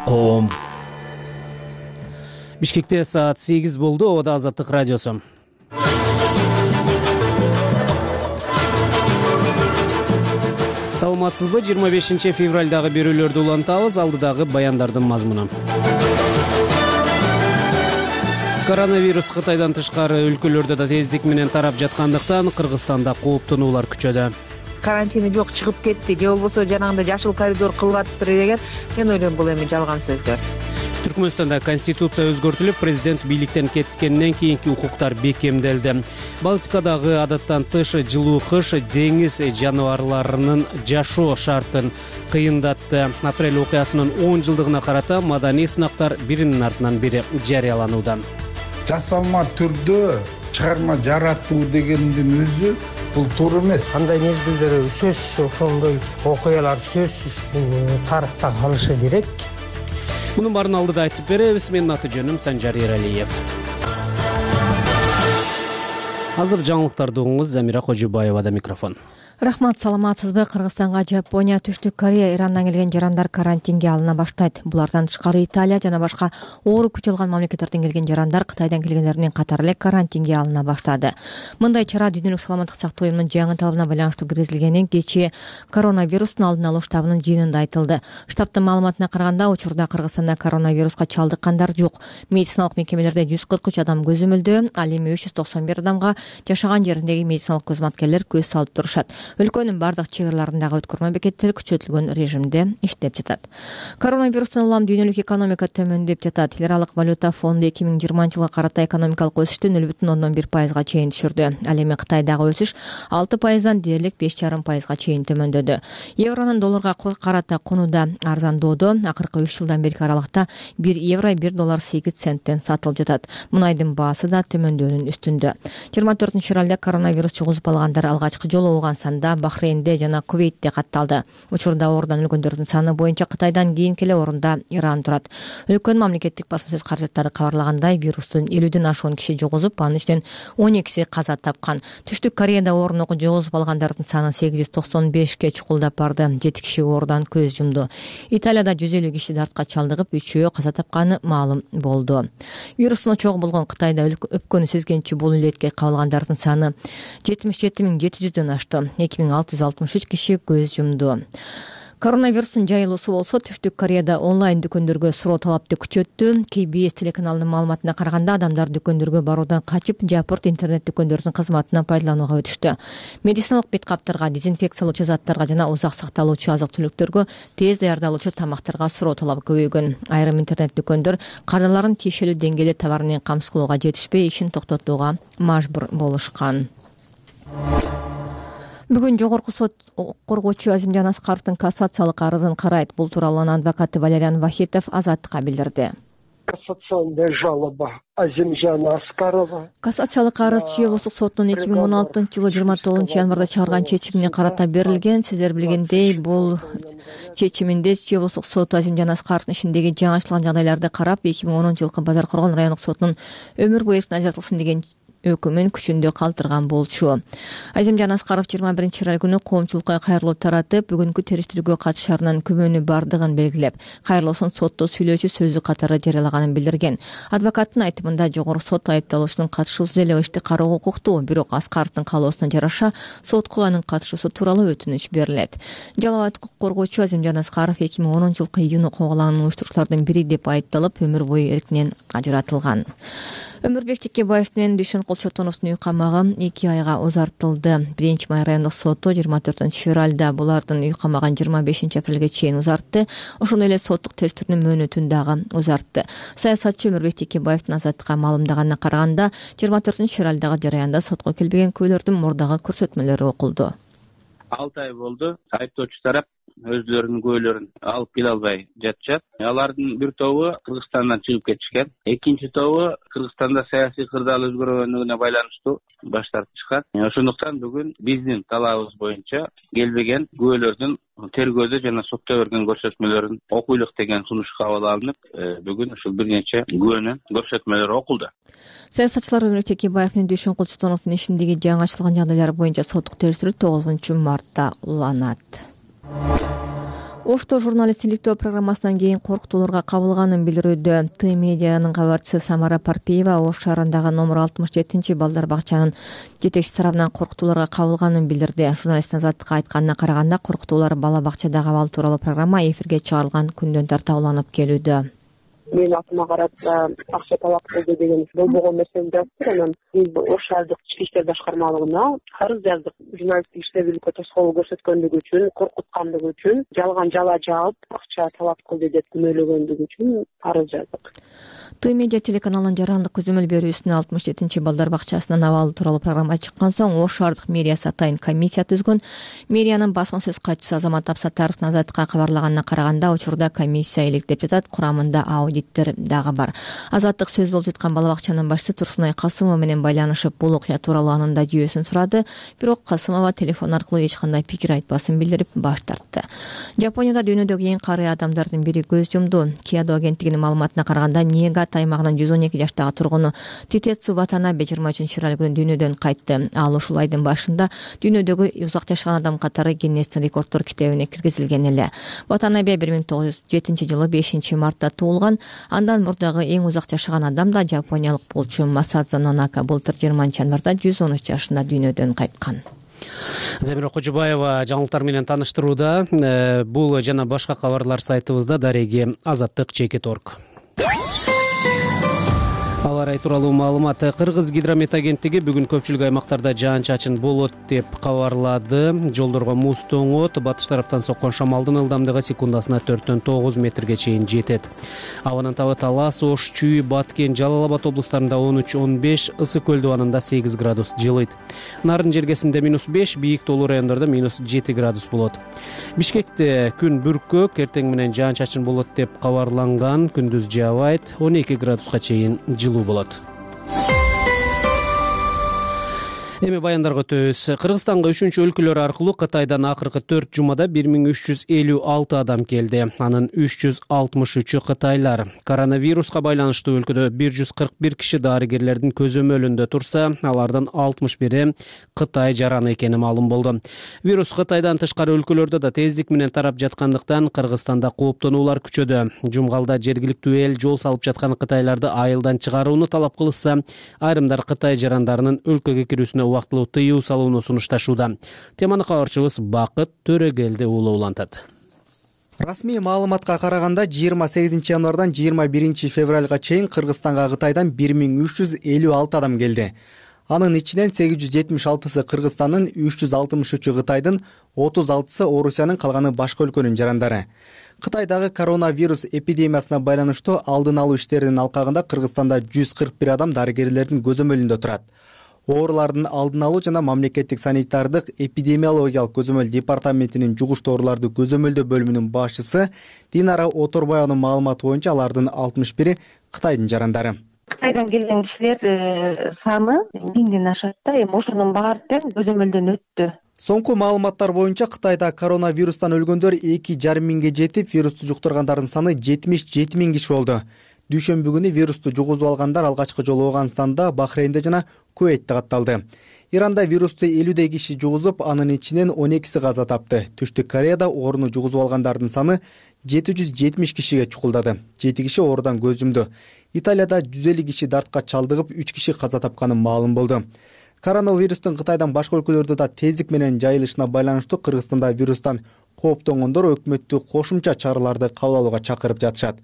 Коом. Бишкекте саат 8 болду. Ода Азаттык радиосу. Саламатсызбы? 25 февралдагы берүүлөрдү улантабыз. Алдыдагы баяндардын мазмуну. Коронавирус Кытайдан тышкары өлкөлөрдө да тездик менен тарап жаткандыктан Кыргызстанда кооптонуулар күчөдө. Карантини жок, чыгып кетти же болбосо жанагындай жашыл коридор кылып деген мен ойлойм бул эми жалган сөздөр. Түркмөнстанда конституция өзгөртүлүп, президент бийликтен кеткенден кийинки укуктар бекемделди. Балтикадагы адаттан тыш жылуу кыш деңиз жаныбарларынын жашоо шартын кыйындатты. Апрель окуясынын 10 жылдыгына карата маданий сынактар биринин артынан бири жарыяланууда. Жасалма түрдө чыгарма жаратуу дегендин өзү бул туура эмес. Кандай мезгилдер сөзсүз ошондой окуялар сөзсүз тарыхта калышы керек. Мунун баарын алдыда айтып беребиз. Менин аты жөнүм Санжар Эралиев. Азыр жаңылыктарды угуңуз. Замира Кожубаевада микрофон. Рахмат, саламатсызбы? Кыргызстанга Жапония, Түштүк Корея, Ирандан келген жарандар карантинге алына баштайт. Булардан тышкары Италия жана башка оору күч алган мамлекеттерден келген жарандар Кытайдан келгендердин катары эле карантинге алына баштады. Мындай чара Дүйнөлүк саламаттык сактоо уюмунун жаңы талабына байланыштуу киргизилгенин кечээ коронавирустун алдын алуу штабынын жыйынында айтылды. Штабтын маалыматына караганда, учурда Кыргызстанда коронавируска чалдыккандар жок. Медициналык мекемелерде 143 адам көзөмөлдөө, ал эми 391 адамга жашаган жериндеги медициналык кызматкерлер көз салып турушат. Өлкөнүн бардык чек араларындагы өткөрмө бекеттери күчөтүлгөн режимде иштеп жатат. Коронавирустан улам дүйнөлүк экономика төмөндөп жатат. Эл аралык валюта фонду 2020 жылга карата экономикалык өсүштү 0,1% чейин түшүрдү. Ал эми Кытайдагы өсүш 6%дан дээрлик 5,5% чейин төмөндөдү. Евронун долларга карата куну да арзандоодо. Акыркы 3 жылдан берки аралыкта 1 евро 1 доллар 8 центтен сатылып жатат. Мунайдын баасы да төмөндөөнүн үстүндө. 24 февралда коронавирус чугузуп алгандар алгачкы жолу Ооганстанда, Бахрейнде жана Кувейтте катталды. Учурда оорудан өлгөндөрдүн саны боюнча Кытайдан кийинки эле орунда Иран турат. Өлкөнүн мамлекеттик басма сөз каражаттары кабарлагандай, вирустун 50ден ашуун киши жугузуп, анын ичинен 12си каза тапкан. Түштүк Кореяда оорууну жугузуп алгандардын саны 895ке чукулдап барды. 7 киши оорудан көз жумду. Италияда 150 киши дартка чалдыгып, 3-өө каза тапканы маалым болду. Вирустун очогу болгон Кытайда өпкөнү сезгенчи бул илетке кабылгандардын саны 77.700дөн ашты. 2663 киши көз жумду. Коронавирустун жайылуусу болсо Түштүк Кореяда онлайн дүкөндөргө суроо талапты күчөттү. KBS телеканалынын маалыматына караганда, адамдар дүкөндөргө баруудан качып, жапырт интернет дүкөндөрдүн кызматынан пайдаланууга өтүштү. Медициналык бет каптарга, дезинфекциялоочу заттарга жана узак сакталуучу азык-түлүктөргө, тез даярдалуучу тамактарга суроо талап көбөйгөн. Айрым интернет дүкөндөр кадрларын тиешелүү деңгээлде товар менен камсыз кылууга жетишпей, ишин токтотууга мажбур болушкан. Бүгүн жогорку сот коргоочу Азимжан Аскаровдун кассациялык арызын карайт. Бул тууралуу анын адвокаты Валериан Вахитов Азаттыкка билдирди. Кассационная жалоба Азимжана Аскарова. Кассациялык арыз Чүй облустук сотунун 2016 жылы 29 январда чыгарган чечимине карата берилген. Сиздер билгендей, бул чечиминде Чүй облустук соту Азимжан Аскаровдун ишиндеги жаңылышылган жагдайларды карап, 2010 жылкы Базар Коргон райондук сотунун өмүр бою эркин ажыратылсын деген өкүмүн күчүндө калтырган болчу. Азимжан Аскаров 21 февраль күнү коомчулукка кайрылуу таратып, бүгүнкү териштирүүгө катышарынан күмөнү бардыгын белгилеп, кайрылуусун сотто сүйлөөчү сөзү катары жарыялаганын билдирген. Адвокаттын айтымында, жогорку сот айыпталуучунун катышуусуз эле ишти кароого укуктуу, бирок Аскаровдун каалоосуна жараша сотко анын катышуусу тууралуу өтүнүч берилет. Жалал укук коргоочу Азимжан Аскаров 2010 жылкы июнь окуяларын уюштуруучулардын бири деп айыпталып, өмүр бою эркинен ажыратылган. Өмүрбек Текебаев менен Дүйшөнкул Чотоновдун үй камагы 2 айга узартылды. 1-Май райондук соту 24 февралда булардын үй камагын 25 апрелге чейин узартты. Ошондой эле соттук териштирүүнүн мөөнөтүн дагы узартты. Саясатчы Өмүрбек Текебаевдин Азаттыкка маалымдаганына караганда, 24 февралдагы жараянда сотко келбеген күбөлөрдүн мурдагы көрсөтмөлөрү окулду. 6 ай болду. Айыптоочу тарап өзлөрүнүн күбөлөрүн алып келе албай жатышат. Алардын бир тобу Кыргызстандан чыгып кетишкен. Экинчи тобу Кыргызстанда саясий кырдаал өзгөргөнүгүнө байланыштуу баш тартышкан. Ошондуктан бүгүн биздин талабыбыз боюнча келбеген күбөлөрдүн тергөөдө жана сотто берген көрсөтмөлөрүн окуйлук деген сунуш кабыл алынып, бүгүн ушул бир нече күбөнүн көрсөтмөлөрү окулду. Саясатчылар Өмүрбек Текебаев менен Дүйшөнкул Чотоновдун ишиндеги жаңы ачылган жагдайлар боюнча соттук териштирүү 9 мартта уланат. Ошто журналист иликтөө программасынан кийин коркутууларга кабылганын билдирүүдө. Т медианын кабарчысы Самара Парпиева Ош шаарындагы номер 67 балдар бакчанын жетекчиси тарабынан коркутууларга кабылганын билдирди. Журналисттин Азаттыкка айтканына караганда, коркутуулар бала бакчадагы абал тууралуу программа эфирге чыгарылган күндөн тарта уланып келүүдө. Мен атыма карата акча талап кылды деген болбогон нерсени жазыптыр. Анан биз Ош шаардык ички иштер башкармалыгына арыз жаздык. Журналисттик иштебүүлүккө тоскоол көрсөткөндүгү үчүн, коркуткандыгы үчүн, жалган жала жаап акча талап кылды деп күнөөлөгөндүгү үчүн арыз жаздык. Т медиа телеканалынын жарандык көзөмөл берүүсүнө 67 балдар бакчасынын абалы тууралуу программа чыккан соң Ош шаардык мэриясы атайын комиссия түзгөн. Мэриянын басма сөз катчысы Азамат Абсаттаровдун Азаттыкка кабарлаганына караганда, учурда комиссия иликтеп жатат, курамында аудиттер дагы бар. Азаттык сөз болуп жаткан бала бакчанын башчысы Турсунай Касымова менен байланышып, бул окуя тууралуу анын да жүйөсүн сурады. Бирок Касымова телефон аркылуу эч кандай пикир айтпасын билдирип баш тартты. Жапонияда дүйнөдөгү эң карый адамдардын бири көз жумду. Киядо агенттигинин маалыматына караганда, Ниигата аймагынын 112 жаштагы тургуну Титецу Ватанабе 23 февраль күнү дүйнөдөн кайтты. Ал ушул айдын башында дүйнөдөгү узак жашаган адам катары Гиннестин рекорддор китебине киргизилген эле. Ватанабе 1907 жылы 5 мартта туулган. Андан мурдагы эң узак жашаган адам да жапониялык болчу Масадзо Нонака былтыр 20 январда 113 жашында дүйнөдөн кайткан. Замира Кожубаева жаңылыктар менен таныштырууда. Бул жана башка кабарлар сайтыбызда дареги azattik.org. Аба ырайы тууралуу маалымат. Кыргыз гидромет агенттиги бүгүн көпчүлүк аймактарда жаан-чачын болот деп кабарлады. Жолдорго муз тоңот, батыш тараптан соккон шамалдын ылдамдыгы секундасына 4-9 метрге чейин жетет. Абанын табы Талас, Ош, Чүй, Баткен, Жалал Абад облустарында 13-15, Ысык көл дубанында 8 градус жылыйт. Нарын жергесинде -5, бийик тоолуу райондордо -7 градус болот. Бишкекте күн бүркөк, эртең менен жаан-чачын болот деп кабарланган. Күндүз жаабайт, 12 градуска чейин жылуу болот. Эми баяндарга өтөбүз. Кыргызстанга үшүнчү өлкөлөр аркылуу Кытайдан акыркы 4 жумада 1356 адам келди. Анын 363-ü кытайлар. Коронавируска байланыштуу өлкөдө 141 киши дарыгерлердин көзөмөлүндө турса, алардын 61-и Кытай жараны экени маалым болду. Вирус Кытайдан тышкары өлкөлөрдө да тездик менен тарап жаткандыктан Кыргызстанда кооптонуулар күчөдө. Жумгалда жергиликтүү эл жол салып жаткан кытайларды айылдан чыгарууну талап кылышса, айрымдар Кытай жарандарынын өлкөгө кирүүсүнө убактылуу тыюу салууну сунушташууда. Теманы кабарчыбыз Бакыт Төрөгелди уулу улантат. Расмий маалыматка караганда 28 январдан 21 февралга чейин Кыргызстанга Кытайдан 1356 адам келди. Анын ичинен 876-сы Кыргызстандын, 363-ü Кытайдын, 36-сы Орусиянын, калганы башка өлкөнүн жарандары. Кытайдагы коронавирус эпидемиясына байланыштуу алдын алуу иштеринин алкагында Кыргызстанда 141 адам дарыгерлердин көзөмөлүндө турат. Оорулардын алдын алуу жана мамлекеттик санитардык эпидемиологиялык көзөмөл департаментинин жугуш ооруларды көзөмөлдөө бөлүмүнүн башчысы Динара Оторбаеванын маалыматы боюнча алардын 61-и Кытайдын жарандары. Кытайдан келген кишилер саны 1000ден ашат да, эми ошонун баары тең көзөмөлдөн өттү. Соңку маалыматтар боюнча Кытайда коронавирустан өлгөндөр 2,5 миңге жетип, вирусту жуктургандардын саны 77 миң киши болду. Дүйшөмбү күнү вирусту жугузуп алгандар алгачкы жолу Ооганстанда, Бахрейнде жана Кувейтте катталды. Иранда вирусту 50 киши жугузуп, анын ичинен 12-си каза тапты. Түштүк Кореяда ооруну жугузуп алгандардын саны 770 кишиге чукулдады. 7 киши оорудан көз жумду. Италияда 150 киши дартка чалдыгып, 3 киши каза тапканы маалым болду. Коронавирустун Кытайдан башка өлкөлөрдө да тездик менен жайылышына байланыштуу Кыргызстанда вирустан кооптонгондор өкмөттү кошумча чараларды кабыл алууга чакырып жатышат.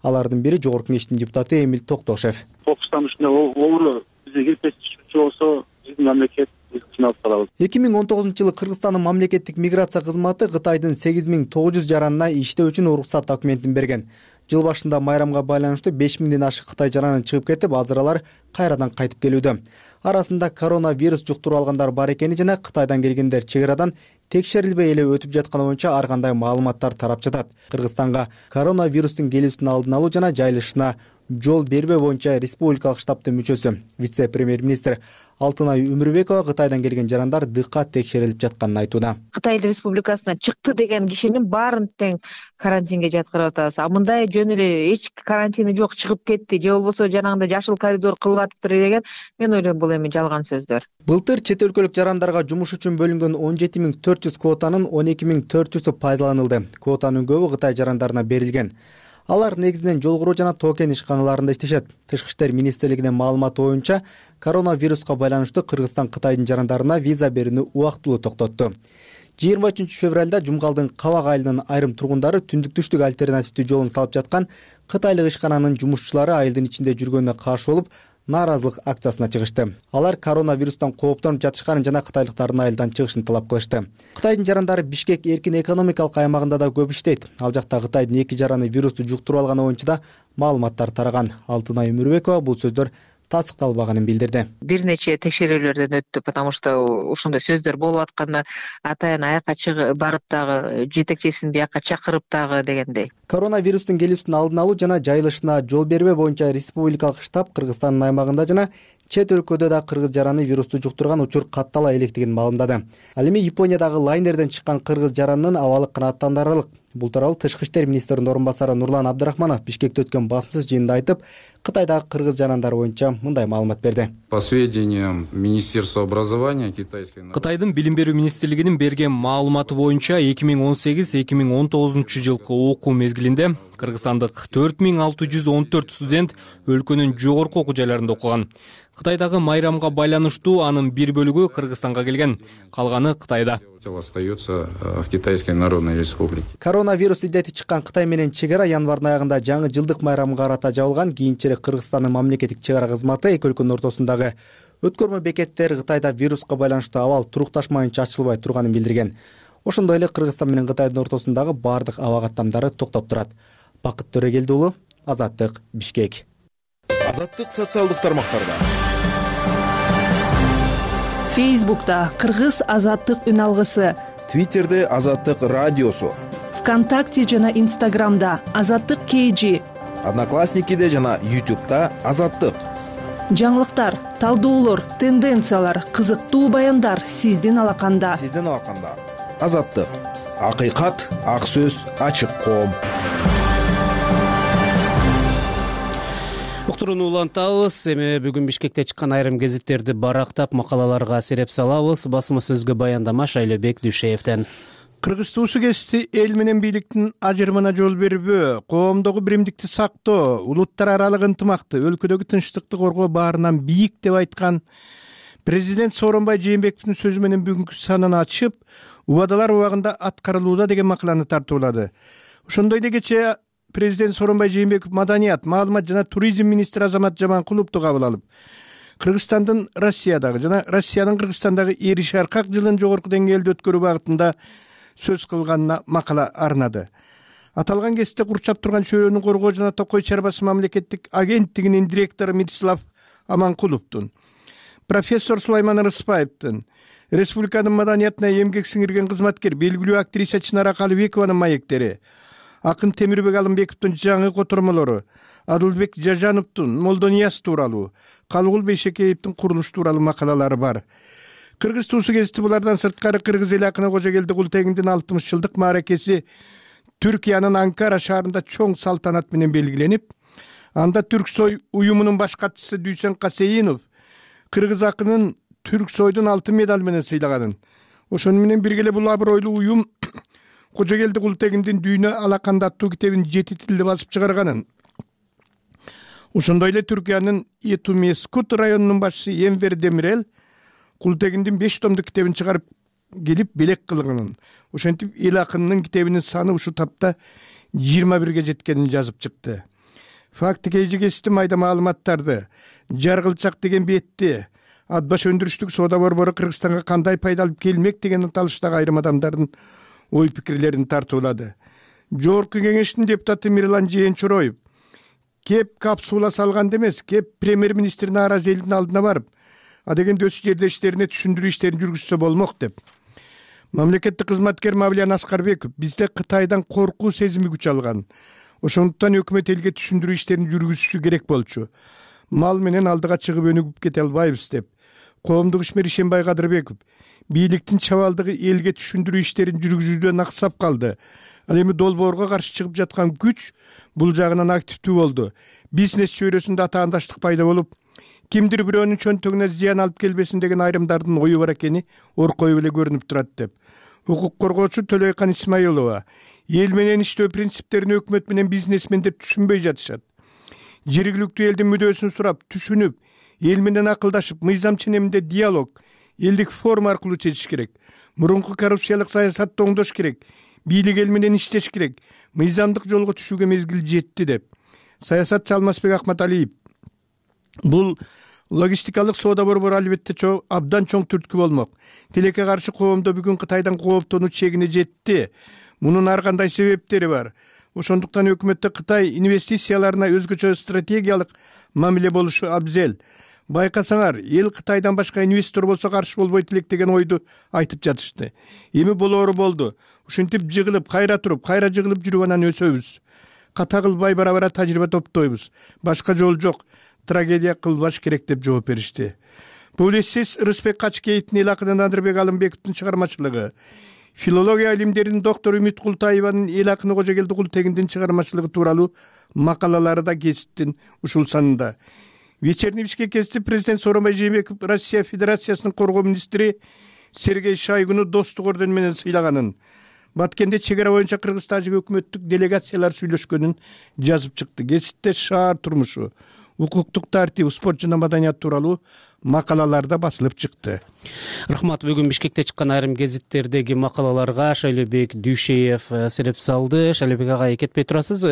Алардын бири Жогорку Кеңештин депутаты Эмил Токтошев. Кокустан үстүнө оору бизге келбешчү болсо, биздин мамлекет 2019 жылы Кыргызстандын мамлекеттик миграция кызматы Кытайдын 8900 жаранына иштөө үчүн уруксат документин берген. Жыл башында майрамга байланыштуу 5000ден ашык Кытай жараны чыгып кетип, азыр алар кайрадан кайтып келүүдө. Арасында коронавирус жуктуруп алгандар бар экени жана Кытайдан келгендер чек арадан текшерилбей эле өтүп жатканы боюнча ар кандай маалыматтар тарап жатат. Кыргызстанга коронавирустун келүүсүн алдын алуу жана жайылышына жол бербөө боюнча республикалык штабтын мүчөсү, вице-премьер-министр Алтынай Өмүрбекова Кытайдан келген жарандар дыкат текшерилип жатканын айтууда. Кытай Республикасынан чыкты деген кишинин баарын тең карантинге жаткырып атабыз. А мындай жөн эле эч карантини жок чыгып кетти же болбосо жанагындай жашыл коридор кылып атыптыр деген мен ойлойм бул эми жалган сөздөр. Былтыр чет өлкөлүк жарандарга жумуш үчүн бөлүнгөн 17400 квотанын 12400-ü пайдаланылды. Квотанын көбү Кытай жарандарына берилген. Алар негизинен жол жана токен ишканаларында иштешет. Тышкы иштер министрлигинин маалыматы боюнча, коронавируска байланыштуу Кыргызстан Кытайдын жарандарына виза берүүнү убактылуу токтотту. 23 февралда Жумгалдын Кабак айылынын айрым тургундары түндүк-түштүк альтернативдүү жолун салып жаткан кытайлык ишкананын жумушчулары айылдын ичинде жүргөнүнө каршы болуп, нааразылык акциясына чыгышты. Алар коронавирустан кооптонуп жатышканын жана кытайлыктардын айылдан чыгышын талап кылышты. Кытайдын жарандары Бишкек эркин экономикалык аймагында да көп иштейт. Ал жакта Кытайдын 2 жараны вирусту жуктуруп алганы боюнча да маалыматтар тараган. Алтынай Өмүрбекова бул сөздөр тастыкталбаганын билдирди. Бир нече текшерүүлөрдөн өттү, потому что ошондой сөздөр болуп атканда атайын аяка чыгып барып дагы жетекчисин бияка чакырып дагы дегендей. Коронавирустун келүүсүн алдын алуу жана жайылышына жол бербөө боюнча республикалык штаб Кыргызстандын аймагында жана чет өлкөдө да кыргыз жараны вирусту жуктурган учур каттала электигин маалымдады. Ал эми Япониядагы лайнерден чыккан кыргыз жаранынын абалы канааттанарлык. Бул тууралуу Тышкы иштер министринин орун басары Нурлан Абдрахманов Бишкекте өткөн басмасыз жыйында айтып, Кытайдагы кыргыз жарандары боюнча мындай маалымат берди. По сведениям Министерства образования Кытайдын билим берүү министрлигинин берген маалыматы боюнча 2018-2019 жылкы окуу мезгилинде Кыргызстандык 4614 студент өлкөнүн жогорку окуу жайларында окуган. Кытайдагы майрамга байланыштуу анын бир бөлүгү Кыргызстанга келген, калганы Кытайда. Остается в Китайской Народной Республике. Коронавирус илдети чыккан Кытай менен чек ара январдын аягында жаңы жылдык майрамга карата жабылган. Кийинчерээк Кыргызстандын мамлекеттик чек ара кызматы эки өлкөнүн ортосундагы өткөрмө бекеттер Кытайда вируска байланыштуу абал турукташмайынча ачылбай турганын билдирген. Ошондой эле Кыргызстан менен Кытайдын ортосундагы бардык аба каттамдары токтоп турат. Бакыт Төрөгелди уулу, Азаттык, Бишкек. Азаттык социалдык тармактарда. Фейсбукта Кыргыз Азаттык үн алгысы, Твиттерде Азаттык радиосу, ВКонтакте жана Инстаграмда Азаттык KG, Одноклассникиде жана YouTube'да Азаттык. Жаңылыктар, талдоолор, тенденциялар, кызыктуу баяндар сиздин алаканда. Азаттык. Акыйкат, ак сөз, ачык коом. Уктурууну улантабыз. Эми бүгүн Бишкекте чыккан айрым гезиттерди барактап, макалаларга сереп салабыз. Басма сөзгө баяндама Шайлобек Дүйшеевден. Кыргыз туусу кести эл менен бийликтин ажырымына жол бербөө, коомдогу биримдикти сактоо, улуттар аралык ынтымакты, өлкөдөгү тынчтыкты коргоо баарынан бийик деп айткан президент Сооронбай Жээнбековдун сөзү менен бүгүнкү санын ачып, убадалар убагында аткарылууда деген макаланы тартуулады. Ошондой эле кечээ президент Сооронбай Жээнбеков маданият, маалымат жана туризм министри Азамат Жаманкуловду кабыл алып, Кыргызстандын Россиядагы жана Россиянын Кыргызстандагы эри шаркак жылын жогорку деңгээлде өткөрүү багытында сөз кылганына макала арнады. Аталган кесте курчап турган чөйрөнү коргоо жана Токой чарбасы мамлекеттик агенттигинин директору Митислав Аманкуловдун, профессор Сулайман Рыспаевдин, республиканын маданиятына эмгек сиңирген кызматкер белгилүү актриса Чынара Калыбекованын маектери, акын Темирбек Алымбековдун жаңы котормолору, Адылбек Жажановдун Молдонияз тууралуу, Калыгул Бейшекеевдин курулуш тууралуу макалалары бар. Кыргыз туусу гезити булардан сырткары Кыргыз эли акыны Кожогелди Култегиндин 60 жылдык мааракеси Түркиянын Анкара шаарында чоң салтанат менен белгиленип, анда Түрксой уюмунун баш катчысы Дүйсен Касейинов кыргыз акынын Түрксойдун алтын медаль менен сыйлаганын, ошону менен бирге эле бул абройлуу уюм Кожогелди Култегиндин Дүйнө алаканда аттуу китебин 7 тилде басып чыгарганын, ошондой эле Түркиянын Этумескут районунун башчысы Энвер Демирел Култегиндин 5 томдук китебин чыгарып келип белек кылганын, ошентип эл акынынын китебинин саны ушу тапта 21 жеткенин жазып чыкты. Факты KG майда маалыматтарды, Жаргылчак деген бетти, ат баш өндүрүштүк соода борбору Кыргызстанга кандай пайда алып келмек деген талыштагы айрым адамдардын ой пикирлерин тартуулады. Жогорку кеңештин депутаты Мирлан Жээнчуроев кеп капсула салганда эмес, кеп премьер-министр нааразы элдин алдына барып, адегенде өз жердештерине түшүндүрүү иштерин жүргүзсө болмок деп. Мамлекеттик кызматкер Мавлиян Аскарбеков бизде Кытайдан коркуу сезими күч алган. Ошондуктан өкмөт элге түшүндүрүү иштерин жүргүзүшү керек болчу. Мал менен алдыга чыгып өнүгүп кете албайбыз деп. коомдук ишмер Ишенбай Кадырбеков бийликтин чабалдыгы элге түшүндүрүү иштерин жүргүзүүдөн аксап калды. Ал эми долбоорго каршы чыгып жаткан күч бул жагынан активдүү болду. Бизнес чөйрөсүндө атаандаштык пайда болуп, кимдир бирөөнүн чөнтөгүнө зыян алып келбесин деген айрымдардын ою бар экени оркой эле көрүнүп турат деп. Укук коргоочу Төлөйкан Исмаилова эл менен иштөө принциптерин өкмөт менен бизнесмендер түшүнбөй жатышат. Жергиликтүү элдин мүдөөсүн сурап, түшүнүп, эл менен акылдашып, мыйзам ченеминде диалог, элдик форум аркылуу чечиш керек. Мурунку коррупциялык саясатты оңдош керек. Бийлик эл менен иштеш керек. Мыйзамдык жолго түшүүгө мезгил жетти деп. Саясатчы Алмазбек Акматалиев бул логистикалык соода борбору албетте абдан чоң түрткү болмок. Тилекке каршы коомдо бүгүн Кытайдан кооптонуу чегине жетти. Мунун ар кандай себептери бар. Ошондуктан өкмөттө Кытай инвестицияларына өзгөчө стратегиялык мамиле болушу абзел. Байкасаңар, эл Кытайдан башка инвестор болсо каршы болбойт элек деген ойду айтып жатышты. Эми болоору болду. Ушинтип жыгылып, кайра туруп, кайра жыгылып жүрүп анан өсөбүз. Ката кылбай бара-бара тажрыйба топтойбуз. Башка жол жок. Трагедия кылбаш керек деп жооп беришти. Публицист Рыспек Качкеевдин эл акынын Адырбек Алымбековдун чыгармачылыгы, филология илимдеринин доктор Үмүт Култаеванын эл акыны Кожогелди Култегиндин чыгармачылыгы тууралуу макалалары да гезиттин ушул санында. Вечерний Бишкек гезити президент Сооронбай Жээнбеков Россия Федерациясынын коргоо министри Сергей Шойгуну достук ордени менен сыйлаганын, Баткенде чегара боюнча Кыргыз тажик өкмөттүк делегациялар сүйлөшкөнүн жазып чыкты. Гезитте шаар турмушу, укуктук тартип, спорт жана маданият тууралуу макалаларда басылып чыкты. Рахмат. Бүгүн Бишкекте чыккан айрым гезиттердеги макалаларга Шайлебек Дүйшеев сереп салды. Шайлебек агай, кетпей турасыз.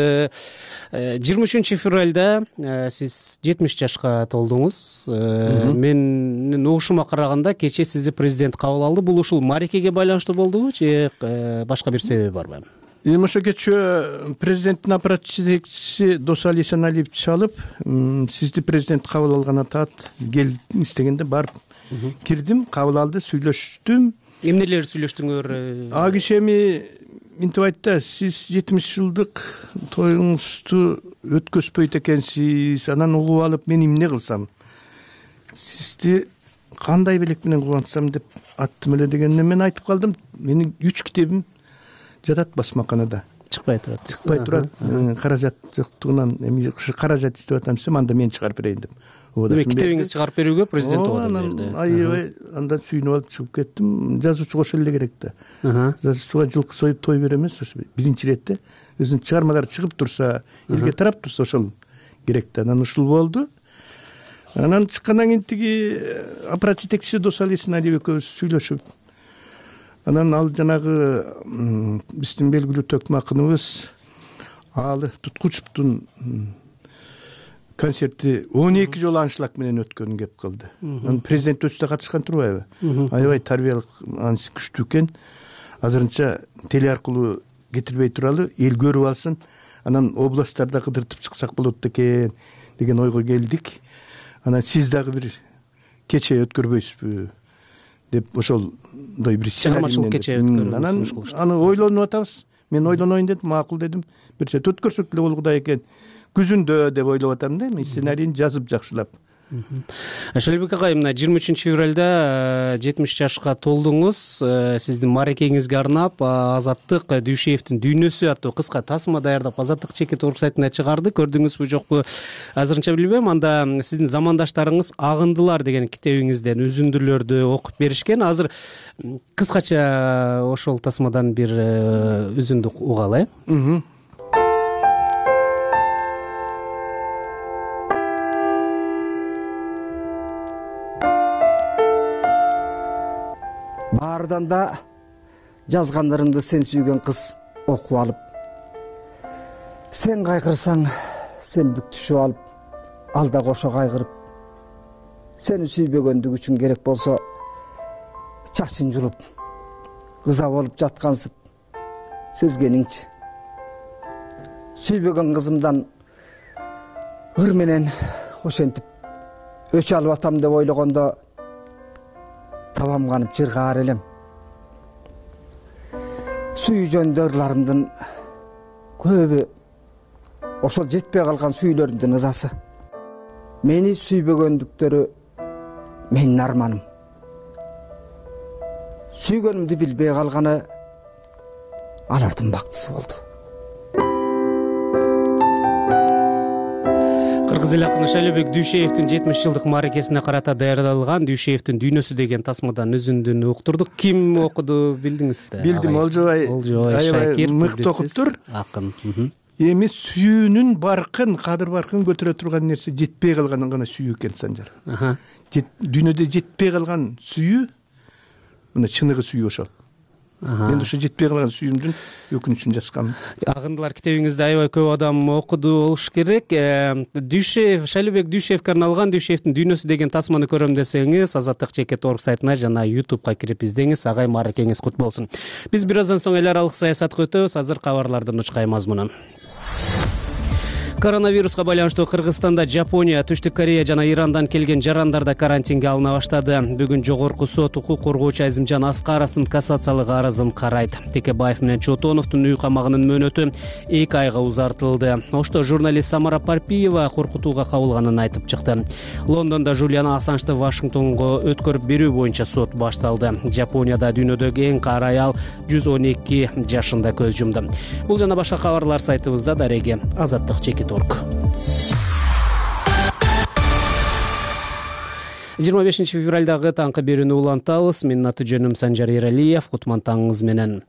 23 февралда сиз 70 жашка толдуңуз. Менин угушума караганда кече сизди президент кабыл алды. Бул ушул мааракеге байланыштуу болдубу же башка бир себеби барбы? Эми ошо кечээ президенттин аппарат жетекчиси Досали Саналиев чалып, сизди президент кабыл алган атат, келиңиз дегенде барып кирдим, кабыл алды, сүйлөштүм. Эмнелер сүйлөштүңөр? А киши эми минтип айтты, сиз 70 жылдык тоюңузду өткөзбөйт экенсиз, анан угуп алып мен эмне кылсам? Сизди кандай белек менен кубантсам деп аттым эле дегенде мен айтып калдым, менин 3 китебим жатат басмаканада. Чыкпай турат. Чыкпай турат. Каражат жоктугунан эми каражат издеп атам десем, анда мен чыгарып берейин деп. Эми китебиңизди чыгарып берүүгө президент убада берди. Аябай андан сүйүнүп алып чыгып кеттим. Жазуучу кошо эле керек да. Жазуучуга жылкы союп той бере эмес, ошо биринчи иретте өзүнүн чыгармалары чыгып турса, элге тарап турса ошол керек да. Анан ушул болду. Анан чыккандан кийин тиги аппарат жетекчиси Досали Саналиев экөөбүз сүйлөшүп, анан ал жанагы биздин белгилүү төкмө акыныбыз Аалы Туткучевдун концерти 12 жолу аншлаг менен өткөнүн кеп кылды. Анан президент өзү да катышкан турбайбы? Аябай тарбиялык анысы күчтүү экен. Азырынча теле аркылуу кетирбей туралы, эл көрүп алсын, анан областтарда кыдыртып чыксак болот экен деген ойго келдик. Анан сиз дагы бир кече өткөрбөйсүзбү деп ошолдой бир чыгармачылык кече өткөрүүнү анан аны ойлонуп атабыз. Мен ойлоноюн дедим, макул дедим. Бир чети өткөрсөк деле болгудай экен. Күзүндө деп ойлоп атам да, мен сценарийин жазып жакшылап. Шайлебек агай, мына 23 февралда 70 жашка толдуңуз. Сиздин мааракеңизге арнап Азаттык Дүйшеевдин Дүйнөсү аттуу кыска тасма даярдап Азаттык чекит орг сайтына чыгарды. Көрдүңүзбү жокпу азырынча билбейм. Анда сиздин замандаштарыңыз Агындылар деген китебиңизден үзүндүлөрдү окуп беришкен. Азыр кыскача ошол тасмадан бир үзүндү угалы. Баардан да жазгандарыңды сен сүйгөн кыз окуп алып, сен кайгырсаң, сен бүктүшүп алып, ал да кошо кайгырып, сени сүйбөгөндүгү үчүн керек болсо чачын жулуп, кыза болуп жаткансып сезгениңчи. Сүйбөгөн кызымдан ыр менен ошентип өч алып атам деп ойлогондо табам канып жыргаар элем. Сүй жөнүндө ырларымдын көбү ошол жетпей калган сүйүлөрүмдүн ызасы. Мени сүйбөгөндүктөрү менин арманым. Сүйгөнүмдү билбей калганы алардын бактысы болду. Кыргыз эл акыны Шайлообек Дүйшеевдин 70 жылдык мааракесине карата даярдалган Дүйшеевдин дүйнөсү деген тасмадан үзүндүн уктурдук. Ким окуду билдиңиз да? Билдим, Олжобай Шакир мыкты окуптур. Акын. Эми сүйүүнүн баркын, кадыр баркын көтөрө турган нерсе жетпей калганын гана сүйүү экен, Санжар. Дүйнөдө жетпей калган сүйүү мына чыныгы сүйүү ошол. Мен ошо жетпей калган сүйүүмдүн өкүнүчүн жазгам. Агындылар китебиңизди аябай көп адам окуду болуш керек. Дүйшеев, Шайлообек Дүйшеевге арналган Дүйшеевдин дүйнөсү деген тасманы көрөм десеңиз, Азаттык.org сайтына жана YouTubeга кирип издеңиз. Агай мааракеңиз кут болсун. Биз бир аздан соң эл аралык саясатка өтөбүз. Азыр кабарлардын учкай мазмуну. Коронавируска байланыштуу Кыргызстанда Жапония, Түштүк Корея жана Ирандан келген жарандар да карантинге алына баштады. Бүгүн жогорку сот укук коргоочу Азимжан Аскаровдун кассациялык арызын карайт. Текебаев менен Чотоновдун үй камагынын мөөнөтү 2 айга узартылды. Ошто журналист Самара Парпиева коркутууга кабылганын айтып чыкты. Лондондо Жулиан Ассанжды Вашингтонго өткөрүп берүү боюнча сот башталды. Жапонияда дүйнөдөгү эң кары аял 112 жашында көз жумду. Бул жана башка кабарлар сайтыбызда. Дареги Азаттык.org. 25 февралдагы таңкы берүүнү улантабыз. Менин аты жөнүм Санжар Эралиев. Кутман таңыңыз менен.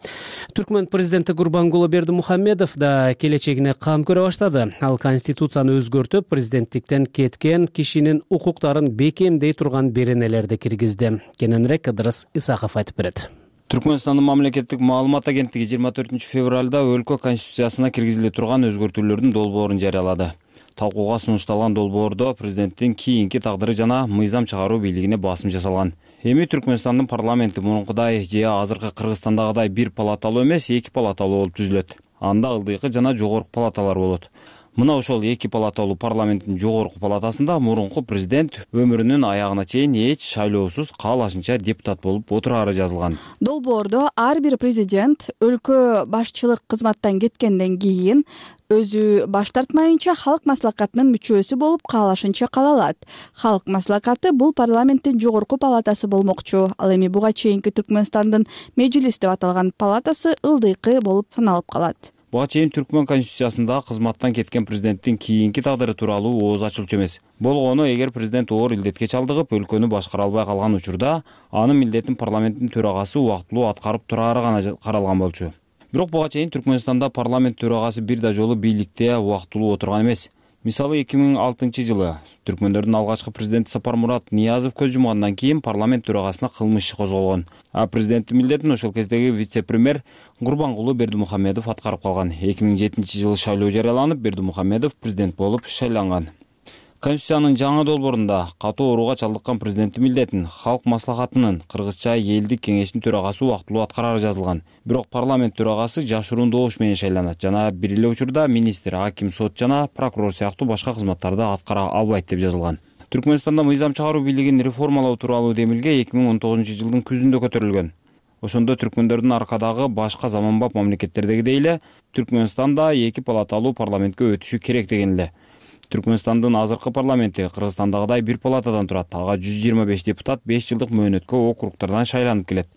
Түркмөн президенти Гурбангулы Бердимухамедов да келечегине кам көрө баштады. Ал конституцияны өзгөртүп, президенттиктен кеткен кишинин укуктарын бекемдей турган беренелерди киргизди. Кененирээк Кыдырыс Исаков айтып берет. Түркмөнстандын мамлекеттик маалымат агенттиги 24 февралда өлкө конституциясына киргизиле турган өзгөртүүлөрдүн долбоорун жарыялады. Талкууга сунушталган долбоордо президенттин кийинки тагдыры жана мыйзам чыгаруу бийлигине басым жасалган. Эми Түркмөнстандын парламенти мурункудай же азыркы Кыргызстандагыдай бир палаталуу эмес, 2 палаталуу болуп түзүлөт. Анда ылдыйкы жана жогорку палаталар болот. Мына ошол 2 палаталуу парламенттин жогорку палатасында мурунку президент өмүрүнүн аягына чейин эч шайлоосуз каалашынча депутат болуп отурары жазылган. Долбоордо ар бир президент өлкө башчылык кызматтан кеткенден кийин өзү баш тартмайынча халык маслакатынын мүчөсү болуп каалашынча кала алат. Халык маслакаты бул парламенттин жогорку палатасы болмокчу. Ал эми буга чейинки Түркмөнстандын мejlis деп аталган палатасы ылдыйкы болуп саналып калат. Буга чейин Түркмөн конституциясында кызматтан кеткен президенттин кийинки тагдыры тууралуу ооз ачылчу эмес. Болгону эгер президент оор илдетке чалдыгып, өлкөнү башкара албай калган учурда, анын милдетин парламенттин төрагасы убактылуу аткарып турары гана каралган болчу. Бирок буга чейин Түркмөнстанда парламент төрагасы бир да жолу бийликте убактылуу отурган эмес. Мисалы 2006-жылы түркмөндөрдүн алгачкы президенти Сапармурат Ниязов көз жумгандан кийин парламент төрагасына кылмыш иши козголгон. А президенттин милдетин ошол кездеги вице-премьер Гурбангулы Бердимухамедов аткарып калган. 2007-жылы шайлоо жарыяланып, Бердимухамедов президент болуп шайланган. Конституциянын жаңы долбоорунда катуу ооруга чалдыккан президенттин милдетин халык маслахатынын кыргызча элдик кеңештин төрагасы убактылуу аткарары жазылган. Бирок парламент төрагасы жашыруун добуш менен шайланат жана бир эле учурда министр, аким, сот жана прокурор сыяктуу башка кызматтарды аткара албайт деп жазылган. Түркмөнстанда мыйзам чыгаруу бийлигин реформалоо тууралуу демилге 2019-жылдын күзүндө көтөрүлгөн. Ошондо түркмөндөрдүн аркадагы башка заманбап мамлекеттердегидей эле Түркмөнстанда 2 палаталуу парламентке өтүшү керек деген эле. Түркмөнстандын азыркы парламенти Кыргызстандагыдай бир палатадан турат. Ага 125 депутат 5 жылдык мөөнөткө округтардан шайланып келет.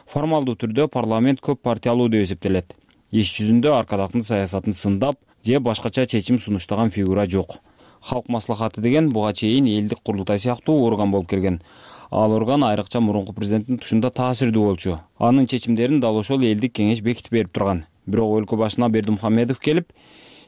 Формалдуу түрдө парламент көп партиялуу деп эсептелет. Иш жүзүндө аркадактын саясатын сындап же башкача чечим сунуштаган фигура жок. Халык маслахаты деген буга чейин элдик курултай сыяктуу орган болуп келген. Ал орган айрыкча мурунку президенттин тушунда таасирдүү болчу. Анын чечимдерин дал ошол элдик кеңеш бекитип берип турган. Бирок өлкө башына Бердимухамедов келип,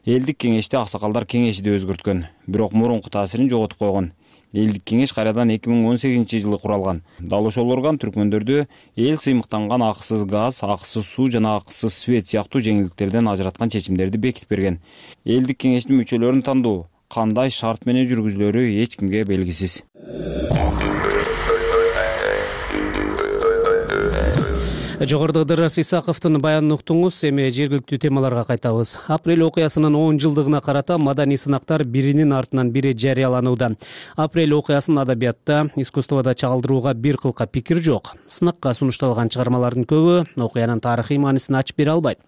элдик кеңешти аксакалдар кеңеши деп өзгөрткөн. Бирок мурунку таасирин жоготуп койгон. Элдик кеңеш кайрадан 2018-жылы куралган. Дал ошол орган түркмөндөрдү эл сыймыктанган акысыз газ, акысыз суу жана акысыз свет сыяктуу жеңилдиктерден ажыраткан чечимдерди бекитип берген. Элдик кеңештин мүчөлөрүн тандоо кандай шарт менен жүргүзүлөрү эч кимге белгисиз. Жогоруда Ыдырыс Исаковдун баянын уктуңуз. Эми жергиликтүү темаларга кайтабыз. Апрель окуясынын 10 жылдыгына карата маданий сынактар биринин артынан бири жарыяланууда. Апрель окуясын адабиятта, искусствода чагылдырууга бир кылка пикир жок. Сынакка сунушталган чыгармалардын көбү окуянын тарыхый маанисин ачып бере албайт.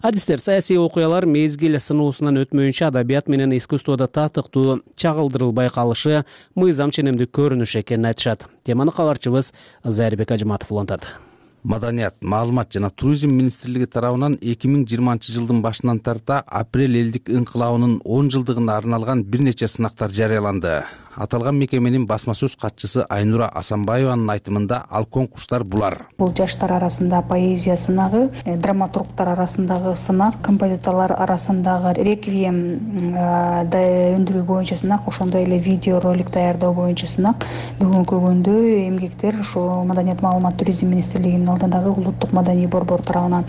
Адистер саясий окуялар мезгил сыноосунан өтмөйүнчө адабият менен искусствода татыктуу чагылдырылбай калышы мыйзам ченемдүү көрүнүш экенин айтышат. Теманы кабарчыбыз Зайырбек Ажыматов улантат. Маданият, маалымат жана туризм министрлиги тарабынан 2020-жылдын башынан тарта апрель элдик ыңкылабынын 10 жылдыгына арналган бир нече сынактар жарыяланды. Аталган мекеменин басма сөз катчысы Айнура Асанбаеванын айтымында ал конкурстар булар: бул жаштар арасында поэзия сынагы, драматургтар арасындагы сынак, композиторлор арасындагы реквием өндүрүү боюнча сынак, ошондой эле видео ролик даярдоо боюнча сынак. Бүгүнкү күндө эмгектер ошо Маданият, маалымат, туризм министрлигинин алдындагы улуттук маданий борбор тарабынан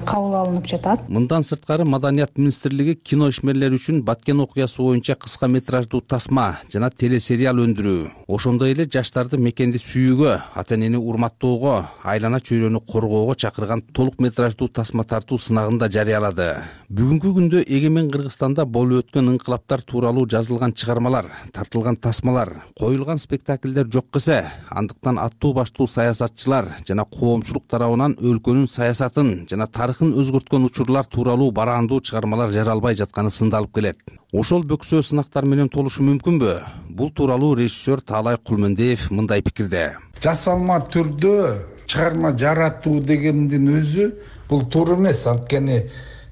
кабыл алынып жатат. Мындан сырткары Маданият министрлиги кино ишмерлери үчүн Баткен окуясы боюнча кыска метраждуу тасма жана телесериал өндүрүү, ошондой эле жаштарды мекенди сүйүүгө, ата-энени урматтоого, айлана чөйрөнү коргоого чакырган толук метраждуу тасма тартуу сынагын да жарыялады. Бүгүнкү күндө эгемен Кыргызстанда болуп өткөн ыңкылаптар тууралуу жазылган чыгармалар, тартылган тасмалар, коюлган спектакльдер жок эсе, андыктан аттуу баштуу саясатчылар жана коомчулук тарабынан өлкөнүн саясатын жана тарыхын өзгөрткөн учурлар тууралуу бараандуу чыгармалар жаралбай жатканы сындалып келет. Ошол бөксө сынактар менен толушу мүмкүнбү? Бул тууралуу режиссер Таалай Кулмендиев мындай пикирде. Жасалма түрдө чыгарма жаратуу дегендин өзү бул туура эмес. Анткени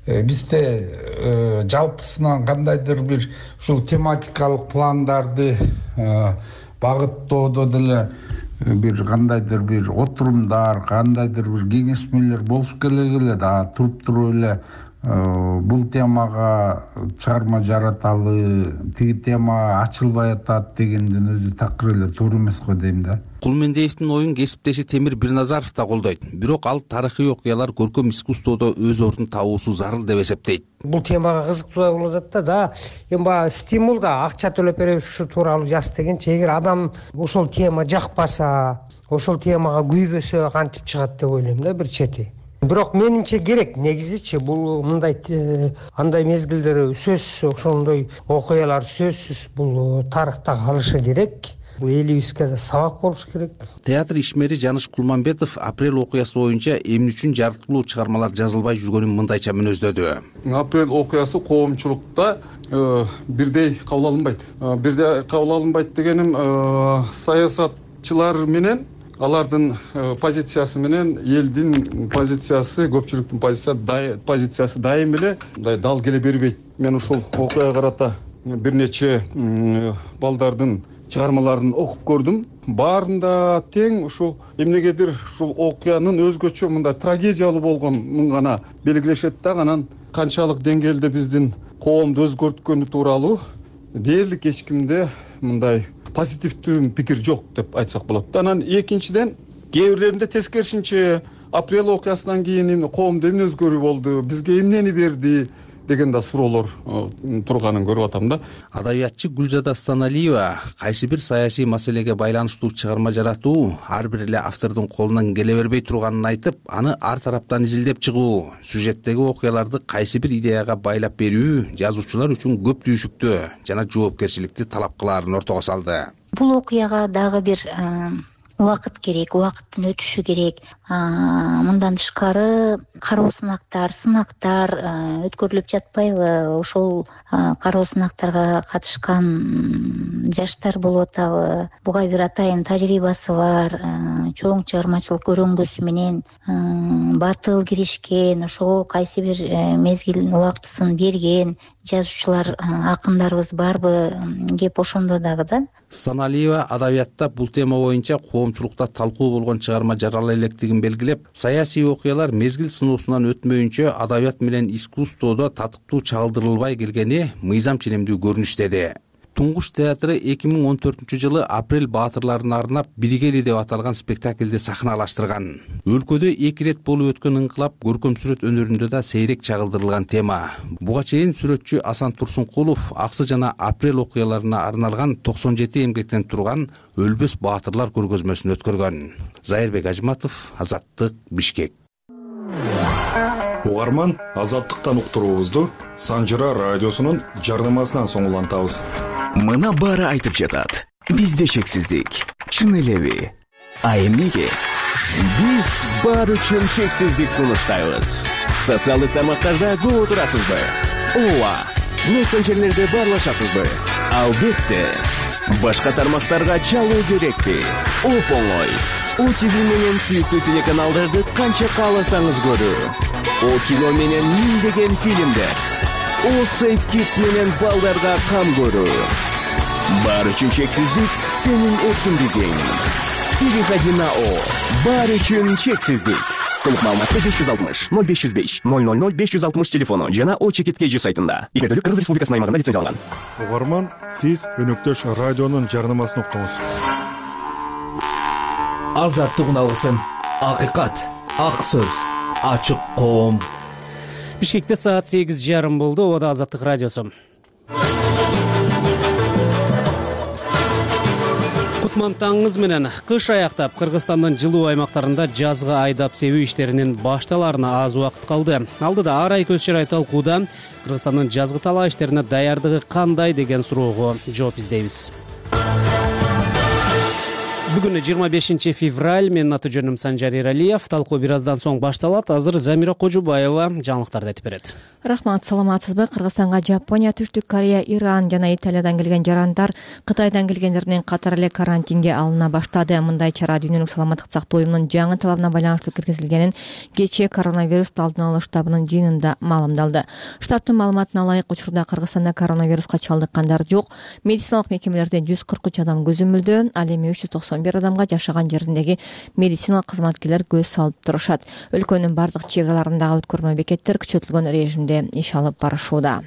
бизде жалпысынан кандайдыр бир ушул тематикалык пландарды багыттоодо деле бир кандайдыр бир отурумдар, кандайдыр бир кеңешмелер болуш келе туруп туруп эле бул темага чыгарма жараталы, тиги тема ачылбай атат дегендин өзү такыр эле туура эмес го дейм да. Кулмендиевдин оюн кесиптеши Темир Бирназаров да колдойт. Бирок ал тарыхый окуялар көркөм искусстводо өз ордун табуусу зарыл деп эсептейт. Бул темага кызыктуу болуп атат да. Эми баягы стимул да, акча төлөп беребиз ушу тууралуу жаз дегенчи, эгер адам ошол тема жакпаса, ошол темага күйбөсө кантип чыгат деп ойлойм да бир чети. Бирок менимче керек, негизичи бул мындай андай мезгилдер сөзсүз, ошондой окуялар сөзсүз бул тарыхта калышы керек. Бул элибизге да сабак болуш керек. Театр ишмери Жаныш Кулманбетов апрель окуясы боюнча эмне үчүн жарыктуулуу чыгармалар жазылбай жүргөнүн мындайча мүнөздөдү. Апрель окуясы коомчулукта бирдей кабыл алынбайт. Бирдей кабыл алынбайт дегеним саясатчылар менен алардын позициясы менен элдин позициясы, көпчүлүктүн позициясы дайым эле мындай дал келе бербейт. Мен ушул окуяга карата бир нече балдардын чыгармаларын окуп көрдүм. Баарында тең ушул эмнегедир ушул окуянын өзгөчө мындай трагедиялуу болгонун гана белгилешет да, анан канчалык деңгээлде биздин коомду өзгөрткөнү тууралуу дээрлик эч кимде мындай позитивдүү пикир жок деп айтсак болот. Анан экинчиден кээ бирлеринде тескерисинче апрель окуясынан кийин коомдо эмне өзгөрүү болду, бизге эмнени берди деген да суроолор турганын көрүп атам да. Адабиятчы Гүлзада Станалиева кайсы бир саясий маселеге байланыштуу чыгарма жаратуу ар бир эле автордун колунан келе бербей турганын айтып, аны ар тараптан изилдеп чыгуу, сюжеттеги окуяларды кайсы бир идеяга байлап берүү жазуучулар үчүн көп түйшүктүү жана жоопкерчиликти талап кылаарын ортого салды. Бул окуяга дагы бир убакыт керек, убакыттын өтүшү керек. Мындан тышкары кароо сынактар өткөрүлүп жатпайбы? Ошол кароо сынактарга катышкан жаштар болуп атабы? Буга бир атайын тажрыйбасы бар, чоң чыгармачылык өрөңгөсү менен батыл киришкен, ошого кайсы бир мезгил убактысын берген жазуучулар, акындарыбыз барбы? Кеп ошондо дагы да. Станалиева адабиятта бул тема боюнча коомчулукта талкуу болгон чыгарма жарала электигин белгилеп, саясий окуялар мезгил сыноосунан өтмөйүнчө адабият менен искусстводо татыктуу чагылдырылбай келгени мыйзам ченемдүү көрүнүш деди. Туңгуш театры 2014-жылы апрель баатырларына арнап «Биргели» деп аталган спектакльди сахналаштырган. Өлкөдө 2 рет болуп өткөн ыңкылап көркөм сүрөт өнөрүндө да сейрек чагылдырылган тема. Буга чейин сүрөтчү Асан Турсункулов Аксы жана Апрель окуяларына арналган 97 эмгектен турган Өлбөс баатырлар көргөзмөсүн өткөргөн. Зайырбек Ажматов, Азаттык, Бишкек. Угарман, Азаттыктан уктуруубузду Санжыра радиосунун жарнамасынан соң улантабыз. Мына баары айтып жатат. Бизде чексиздик. Чын элеби? А эмнеге? Биз баары үчүн чексиздик сунуштайбыз. Социалдык тармактарда көп отурасызбы? Ооба. Мессенджерлерде баарлашасызбы? Албетте. Башка тармактарга чалуу керекпи? Оп-оңой. ОТВ менен сүйүктүү телеканалдарды канча кааласаңыз көрүү. О кино менен миңдеген фильмдер. О Сейф Kids менен балдарга кам көрүү. Баары үчүн чексиздик сенин эркиндигиң. Переходи на О. Баары үчүн чексиздик. Толук маалыматты 560 0505 000 560 телефону жана O-Чекит.kg сайтында. Иштетүүлүк Кыргыз Республикасынын аймагында лицензияланган. Угарман, сиз өнөктөш радионун жарнамасын уктуңуз. Азаттык уналгысын. Акыйкат, ак сөз, ачык коом. Бишкекте саат 8:30 болду. Ода Азаттык радиосу. Кутман таңыңыз менен. Кыш аяктап Кыргызстандын жылуу аймактарында жазгы айдап себүү иштеринин башталарына аз убакыт калды. Алдыда Ар ай көз чырай талкууда Кыргызстандын жазгы талаа иштерине даярдыгы кандай деген суроого жооп издейбиз. Бүгүн 25 февраль. Менин аты жөнүм Санжар Эралиев. Талкуу бир аздан соң башталат. Азыр Замира Кожубаева жаңылыктарды айтып берет. Рахмат, саламатсызбы? Кыргызстанга Жапония, Түштүк Корея, Иран жана Италиядан келген жарандар Кытайдан келгендердин катары эле карантинге алына баштады. Мындай чара Дүйнөлүк саламаттык сактоо уюмунун жаңы талабына байланыштуу киргизилгенин кечээ коронавирусту алдын алуу штабынын жыйынында маалымдалды. Штабтын маалыматына ылайык, учурда Кыргызстанда коронавируска чалдыккандар жок. Медициналык мекемелерде 143 адам көзөмөлдө, ал эми 391 адамга жашаган жериндеги медициналык кызматкерлер көз салып турушат. Өлкөнүн бардык чек араларындагы өткөрмө бекеттер күчөтүлгөн режимде иш алып барышууда.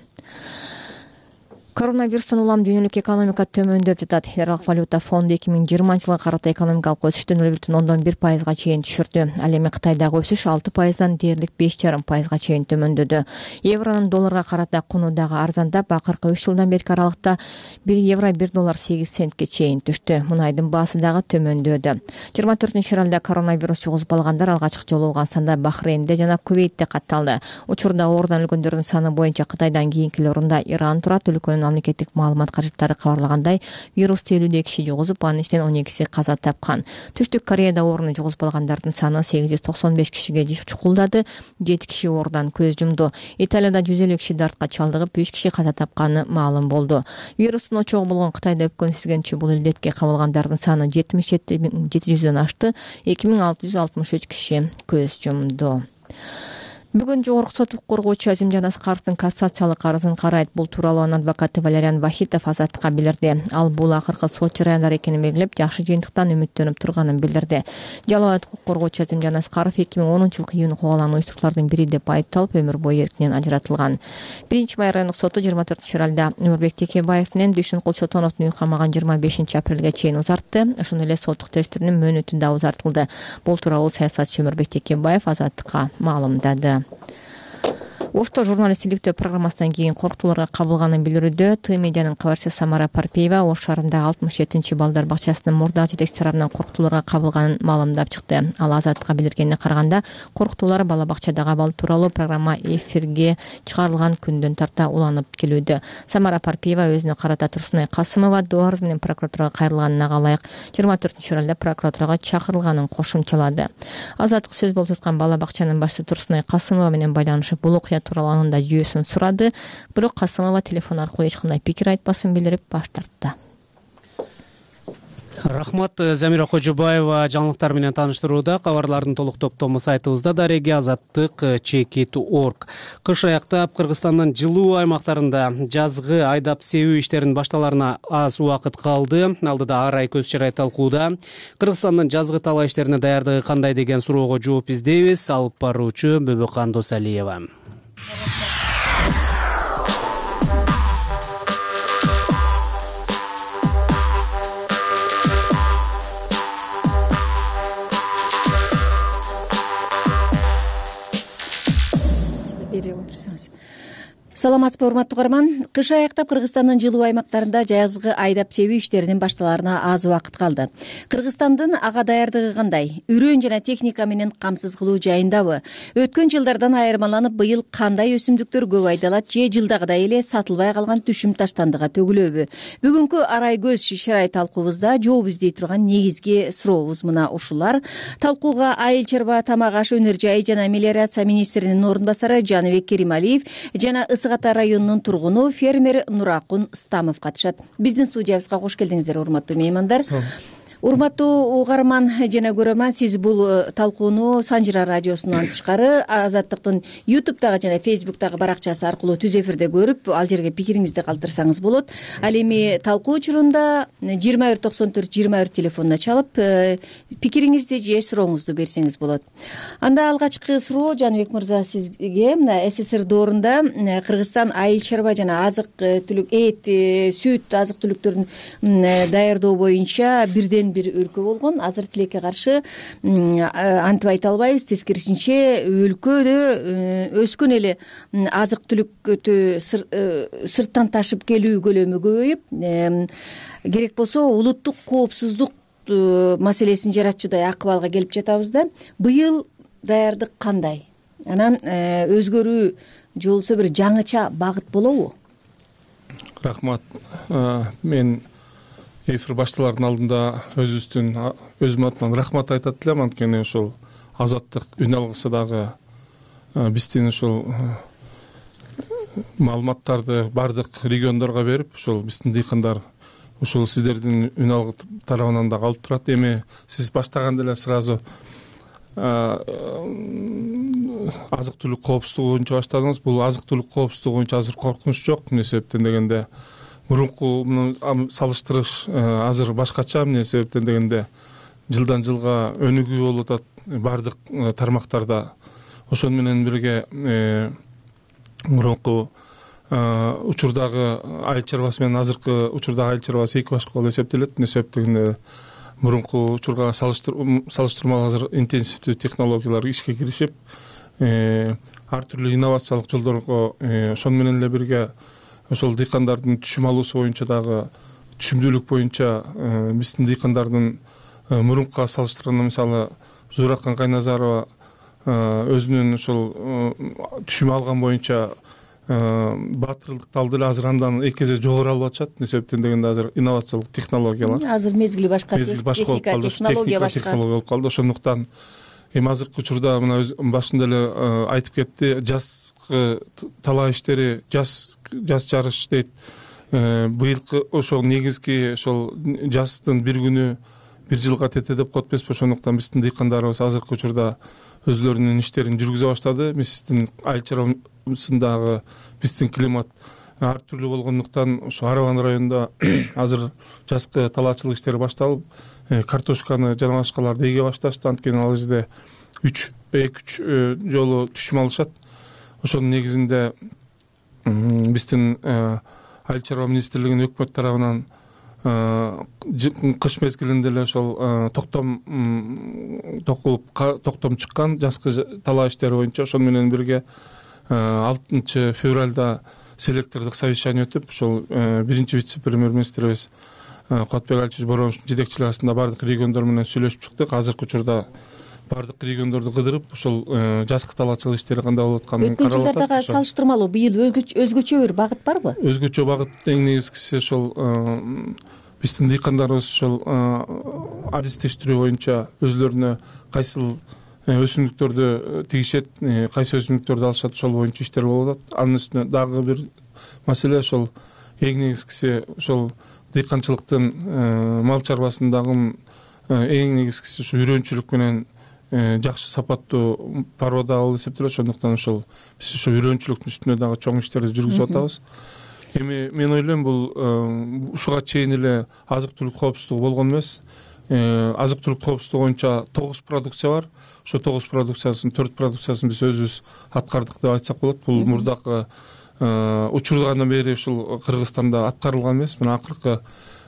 Коронавирустан улам дүйнөлүк экономика төмөндөп жатат. Эл аралык валюта фонду 2020-жылга карата экономикалык өсүштү 0,1%га чейин түшүрдү. Ал эми Кытайдагы өсүш 6%дан дээрлик 5,5%га чейин төмөндөдү. Евронун долларга карата куну дагы арзандап, акыркы 3 жылдан берки аралыкта 1 евро 1 доллар 8 центке чейин түштү. Мунайдын баасы дагы төмөндөдү. 24-февралда коронавирус жугузуп алгандар алгачкы жолу Афганистанда, Бахрейнде жана Кувейтте катталды. Учурда оорудан өлгөндөрдүн саны боюнча Кытайдан кийинки орунда Иран турат. Өлкөнүн мамлекеттик маалымат каражаттары кабарлагандай, вирус 52 киши жугузуп, анын ичинен 12си каза тапкан. Түштүк Кореяда ооруну жугузуп алгандардын саны 895 кишиге чукулдады, 7 киши оорудан көз жумду. Италияда 150 киши дартка чалдыгып, 3 киши каза тапканы маалым болду. Вирустун очогу болгон Кытайда өпкөн сүзгөнчү бул илдетке кабылгандардын саны 77.700дөн ашты, 2663 киши көз жумду. Бүгүн жогорку сот укук коргоочу Азимжан Аскаровдун кассациялык арызын карайт. Бул тууралуу анын адвокаты Валериан Вахитов Азаттыкка билдирди. Ал бул акыркы сот жарыяндар экенин белгилеп, жакшы жыйынтыктан үмүттөнүп турганын билдирди. Жалал укук коргоочу Азимжан Аскаров 2010-жылкы июнь куугалан уюштуруculардын бири деп айыпталып, өмүр бою эркинен ажыратылган. 1-Май райондук соту 24-февралда Өмүрбек Текебаев менен Дүйшүнкул Чотоновдун үй камагын 25 апрелге чейин узартты. Ошондой эле соттук териштирүүнүн мөөнөтү да узартылды. Бул тууралуу саясатчы Өмүрбек Текебаев Азаттыкка маалымдады. Ошто журналист иликтөө программасынан кийин корктууларга кабылганын билдирүүдө Т медианын кабарчысы Самара Парпиева Ош шаарындагы 67-чи балдар бакчасынын мурдагы жетекчиси тарабынан корктууларга кабылганын маалымдап чыкты. Ал Азаттыкка билдиргенине караганда, корктуулар бала бакчадагы абал тууралуу программа эфирге чыгарылган күндөн тарта уланып келүүдө. Самара Парпиева өзүнө карата Турсунай Касымова доо арыз менен прокуратурага кайрылганына ылайык 24-февралда прокуратурага чакырылганын кошумчалады. Азаттык сөз болуп жаткан бала бакчанын башчысы Турсунай Касымова менен байланышып, бул окуя тууралуу анын да жүйөсүн сурады. Бирок Касымова телефон аркылуу эч кандай пикир айтпасын билдирип баш тартты. Рахмат, Замира Кожубаева жаңылыктар менен тааныштырууда. Кабарлардын толук топтому сайтыбызда дареги azattik.chekit.org. Кыш аяктап Кыргызстандын жылуу аймактарында жазгы айдап себүү иштеринин башталарына аз убакыт калды. Алдыда Ар ай көз чырай талкууда Кыргызстандын жазгы талаа иштерине даярдыгы кандай деген суроого жооп издейбиз. Алып баруучу Бөбөкан Досалиева. саламатсызбы урматтуу угарман. Кыш аяктап Кыргызстандын жылуу аймактарында жазгы айдап себүү иштеринин башталарына аз убакыт калды. Кыргызстандын ага даярдыгы кандай? Үрөөн жана техника менен камсыз кылуу жайындабы? Өткөн жылдардан айырмаланып, быйыл кандай өсүмдүктөр көп айдалат же жылдагыдай эле сатылбай калган түшүм таштандыга төгүлөбү? Бүгүнкү арай көз шарай талкуубузда жооп издей турган негизги сурообуз мына ушулар. Талкууга Айыл чарба, тамак аш, өнөр жай жана мелиорация министринин орун басары Жаныбек Керималиев жана Ысык Ата районунун тургуну фермер Нуракун Стамов катышат. Биздин студиябызга кош келдиңиздер, урматтуу меймандар. Урматтуу угарман жана көрөрман, сиз бул талкууну Санжыра радиосунан тышкары Азаттыктын YouTube'дагы жана Facebook'дагы баракчасы аркылуу түз эфирде көрүп, ал жерге пикириңизди калтырсаңыз болот. Ал эми талкуу учурунда 2194-21 телефонуна чалып, пикириңизди же сурооңузду берсеңиз болот. Анда алгачкы суроо Жаныбек мырза сизге. Мына СССР доорунда Кыргызстан айыл чарба жана азык түлүк, эт, сүт, азык түлүктөрүн даярдоо боюнча бирден бир өлкө болгон. Азыр тилекке каршы антип айта албайбыз. Тескерисинче өлкөдө өскөн эле азык түлүктү сырттан ташып келүү көлөмү көбөйүп, керек болсо улуттук коопсуздук маселесин жаратчудай акыбалга келип жатабыз да. Быйыл даярдык кандай? Анан өзгөрүү же болбосо бир жаңыча багыт болобу? Рахмат. Мен эфир башталардын алдында өзүм атыман рахмат айтат элем, анткени ошол азаттык үн алгысы дагы биздин ошол маалыматтарды бардык региондорго берип, ошол биздин дыйкандар ушул сиздердин үн алгы тарабынан дагы алып турат. Эми сиз баштаганда эле сразу азык түлүк коопсуздугу боюнча баштадыңыз. Бул азык түлүк коопсуздугу боюнча азыр коркунуч жок. Эмне себептен дегенде мурунку салыштырыш азыр башкача. Эмне себептен дегенде жылдан жылга өнүгүү болуп атат бардык тармактарда. Ошону менен бирге мурунку учурдагы айыл чарбасы менен азыркы учурдагы айыл чарбасы эки башка болуп эсептелет. Эмне себептен мурунку учурга салыштырмалуу азыр интенсивдүү технологиялар ишке киришип, ар түрдүү инновациялык жолдорго, ошону менен эле бирге ошол дыйкандардын түшүм алуусу боюнча дагы, түшүмдүүлүк боюнча биздин дыйкандардын мурункуга салыштырганда, мисалы Зуракан Кайназарова өзүнүн ошол түшүм алган боюнча баатырлыкты алды эле, азыр андан эки эсе жогору алып атышат. Эмне себептен дегенде азыр инновациялык технологиялар, азыр мезгили башка, техника технология болуп калды. Ошондуктан эми азыркы учурда мына башында эле айтып кетти, жазгы талаа иштери, жаз жарыш дейт. Быйылкы ошол негизги ошол жаздын бир күнү бир жылга тете деп коет эмеспи. Ошондуктан биздин дыйкандарыбыз азыркы учурда өзлөрүнүн иштерин жүргүзө баштады. Биздин айыл чарбасындагы биздин климат ар түрлүү болгондуктан ошо Арабан районунда азыр жазгы талаачылык иштери башталып, картошканы жана башкаларды эге башташты. Анткени ал жерде 2-3 жолу түшүм алышат. Ошонун негизинде биздин айыл чарба министрлигинин өкмөт тарабынан кыш мезгилинде эле ошол токтом чыккан жазгы талаа иштери боюнча. Ошону менен бирге 6 февралда селектордук совещание өтүп, ошол биринчи вице-премьер-министрибиз Кубатбек Алиевич Бороновичтин жетекчилиги астында бардык региондор менен сүйлөшүп чыктык. Азыркы учурда бардык региондорду кыдырып, ошол жазгы талаачылык иштери кандай болуп атканын карап атат. Өткөн жылдардагы салыштырмалуу быйыл өзгөчө бир багыт барбы? Өзгөчө багыт эң негизгиси ошол биздин дыйкандарыбыз ошол адистештирүү боюнча өзлөрүнө кайсыл өсүмдүктөрдү тигишет, кайсы өсүмдүктөрдү алышат, ошол боюнча иштер болуп атат. Анын үстүнө дагы бир маселе ошол эң негизгиси ошол дыйканчылыктын мал чарбасындагы эң негизгиси ушу үрөөнчүлүк менен жакшы сапаттуу порода болуп эсептелет. Ошондуктан ошол биз ошо үрөөнчүлүктүн үстүнө дагы чоң иштерди жүргүзүп атабыз. Эми мен ойлойм, бул ушуга чейин эле азык түлүк коопсуздугу болгон эмес. Азык түлүк коопсуздугу боюнча 9 продукция бар. Ошо 9 продукциясынын 4 продукциясын биз өзүбүз аткардык деп айтсак болот. Бул мурдакы учурдан бери ушул Кыргызстанда аткарылган эмес. Мына акыркы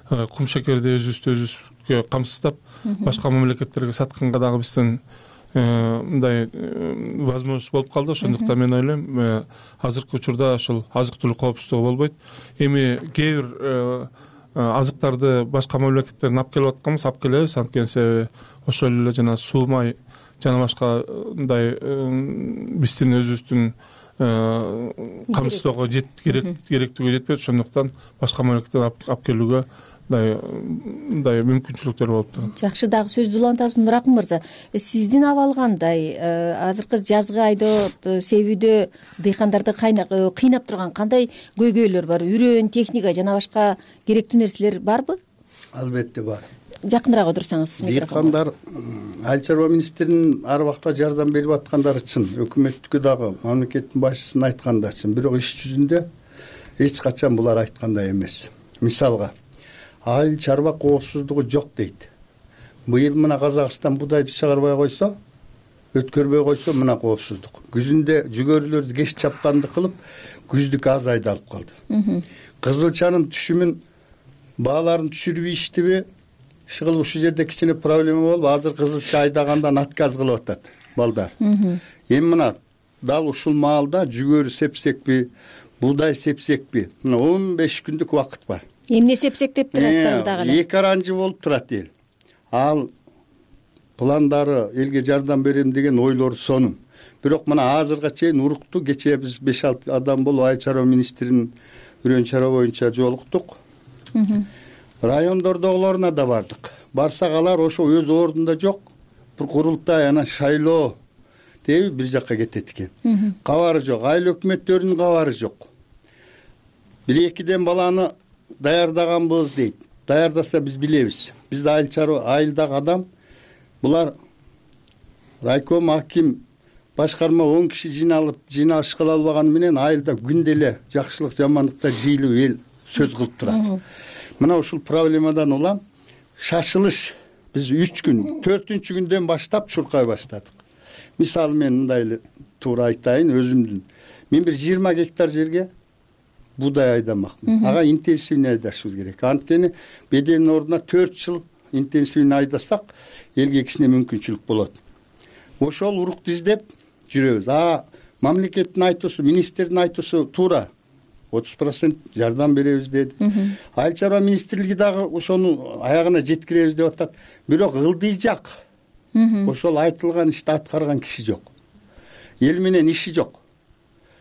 кум шекерди өзүбүздө камсыздап башка мамлекеттерге сатканга дагы биздин мындай возможность болуп калды. Ошондуктан мен ойлойм, азыркы учурда ошол азык түлүк коопсуздугу болбойт. Эми кээ бир азыктарды башка мамлекеттерден алып келип атканбыз, алып келебиз. Анткени себеби ошол эле жана суу, май жана башка мындай биздин өзүбүздүн камсыздоого керектиги жетпейт. Ошондуктан башка мамлекеттен алып келүүгө мындай мүмкүнчүлүктөр болуп турат. Жакшы, дагы сөздү улантасың Нуракын мырза. Сиздин абал кандай? Азыркы жазгы айдоо себүүдө дыйкандарды кыйнап турган кандай көйгөйлөр бар? Үрөөн, техника жана башка керектүү нерселер барбы? Албетте бар. Жакыныраак отурсаңыз. Дыйкандар Айыл чарба министринин ар убакта жардам берип аткандары чын, өкмөттүкү дагы, мамлекеттин башчысынын айткандары чын. Бирок иш жүзүндө эч качан булар айткандай эмес. Мисалга, айыл чарба коопсуздугу жок дейт. Быйыл мына Казакстан будайды чыгарбай койсо, өткөрбөй койсо мына коопсуздук. Күзүндө жүгөрүлөрдү кеч чапканды кылып, күздүк аз айдалып калды. Кызылчанын түшүмүн бааларын түшүрбөйүштүбү? Ушул жерде кичине проблема болуп, азыр кызылча айдагандан отказ кылып атат балдар. Эми мына дал ушул маалда жүгөрү сепсекпи, буудай сепсекпи? Мына 15 күндүк убакыт бар. Эмне сепсек деп турасыздар дагы эле? Эки аранжы болуп турат эл. Ал пландары элге жардам берем деген ойлору сонун. Бирок мына азырга чейин урукту. Кечээ биз 5-6 адам болуп айыл чарба министринин үрөөн чара боюнча жолуктук. Райондордогуларына да бардык. Барсак алар ошо өз ордунда жок. Бир курултай анан шайлоо деп бир жакка кетет экен. Кабары жок. Айыл өкмөттөрүнүн кабары жок. 1-2 баланы даярдаганбыз дейт. Даярдаса биз билебиз. Биз айылдагы адам, булар райком, аким, башкарма 10 киши жыйналыш кыла албаганы менен айылда күндө эле жакшылык жамандыктар жыйылып эл сөз кылып турат. Мына ушул проблемадан улам шашылыш биз 3 күн, 4-күндөн баштап чуркай баштадык. Мисалы мен мындай эле туура айтайын өзүмдүн. Мен бир 20 гектар жерге буудай айдамакмын. Ага интенсивный айдашыбыз керек. Анткени беделинин ордуна 4 жыл интенсивный айдасак, элге кичине мүмкүнчүлүк болот. Ошол урукту издеп жүрөбүз. Мамлекеттин айтуусу, министрдин айтуусу туура. 30% жардам беребиз деди. Айыл чарба министрлиги дагы ошону аягына жеткиребиз деп атат. Бирок ылдыйжак. Ошол айтылган ишти аткарган киши жок. Эл менен иши жок.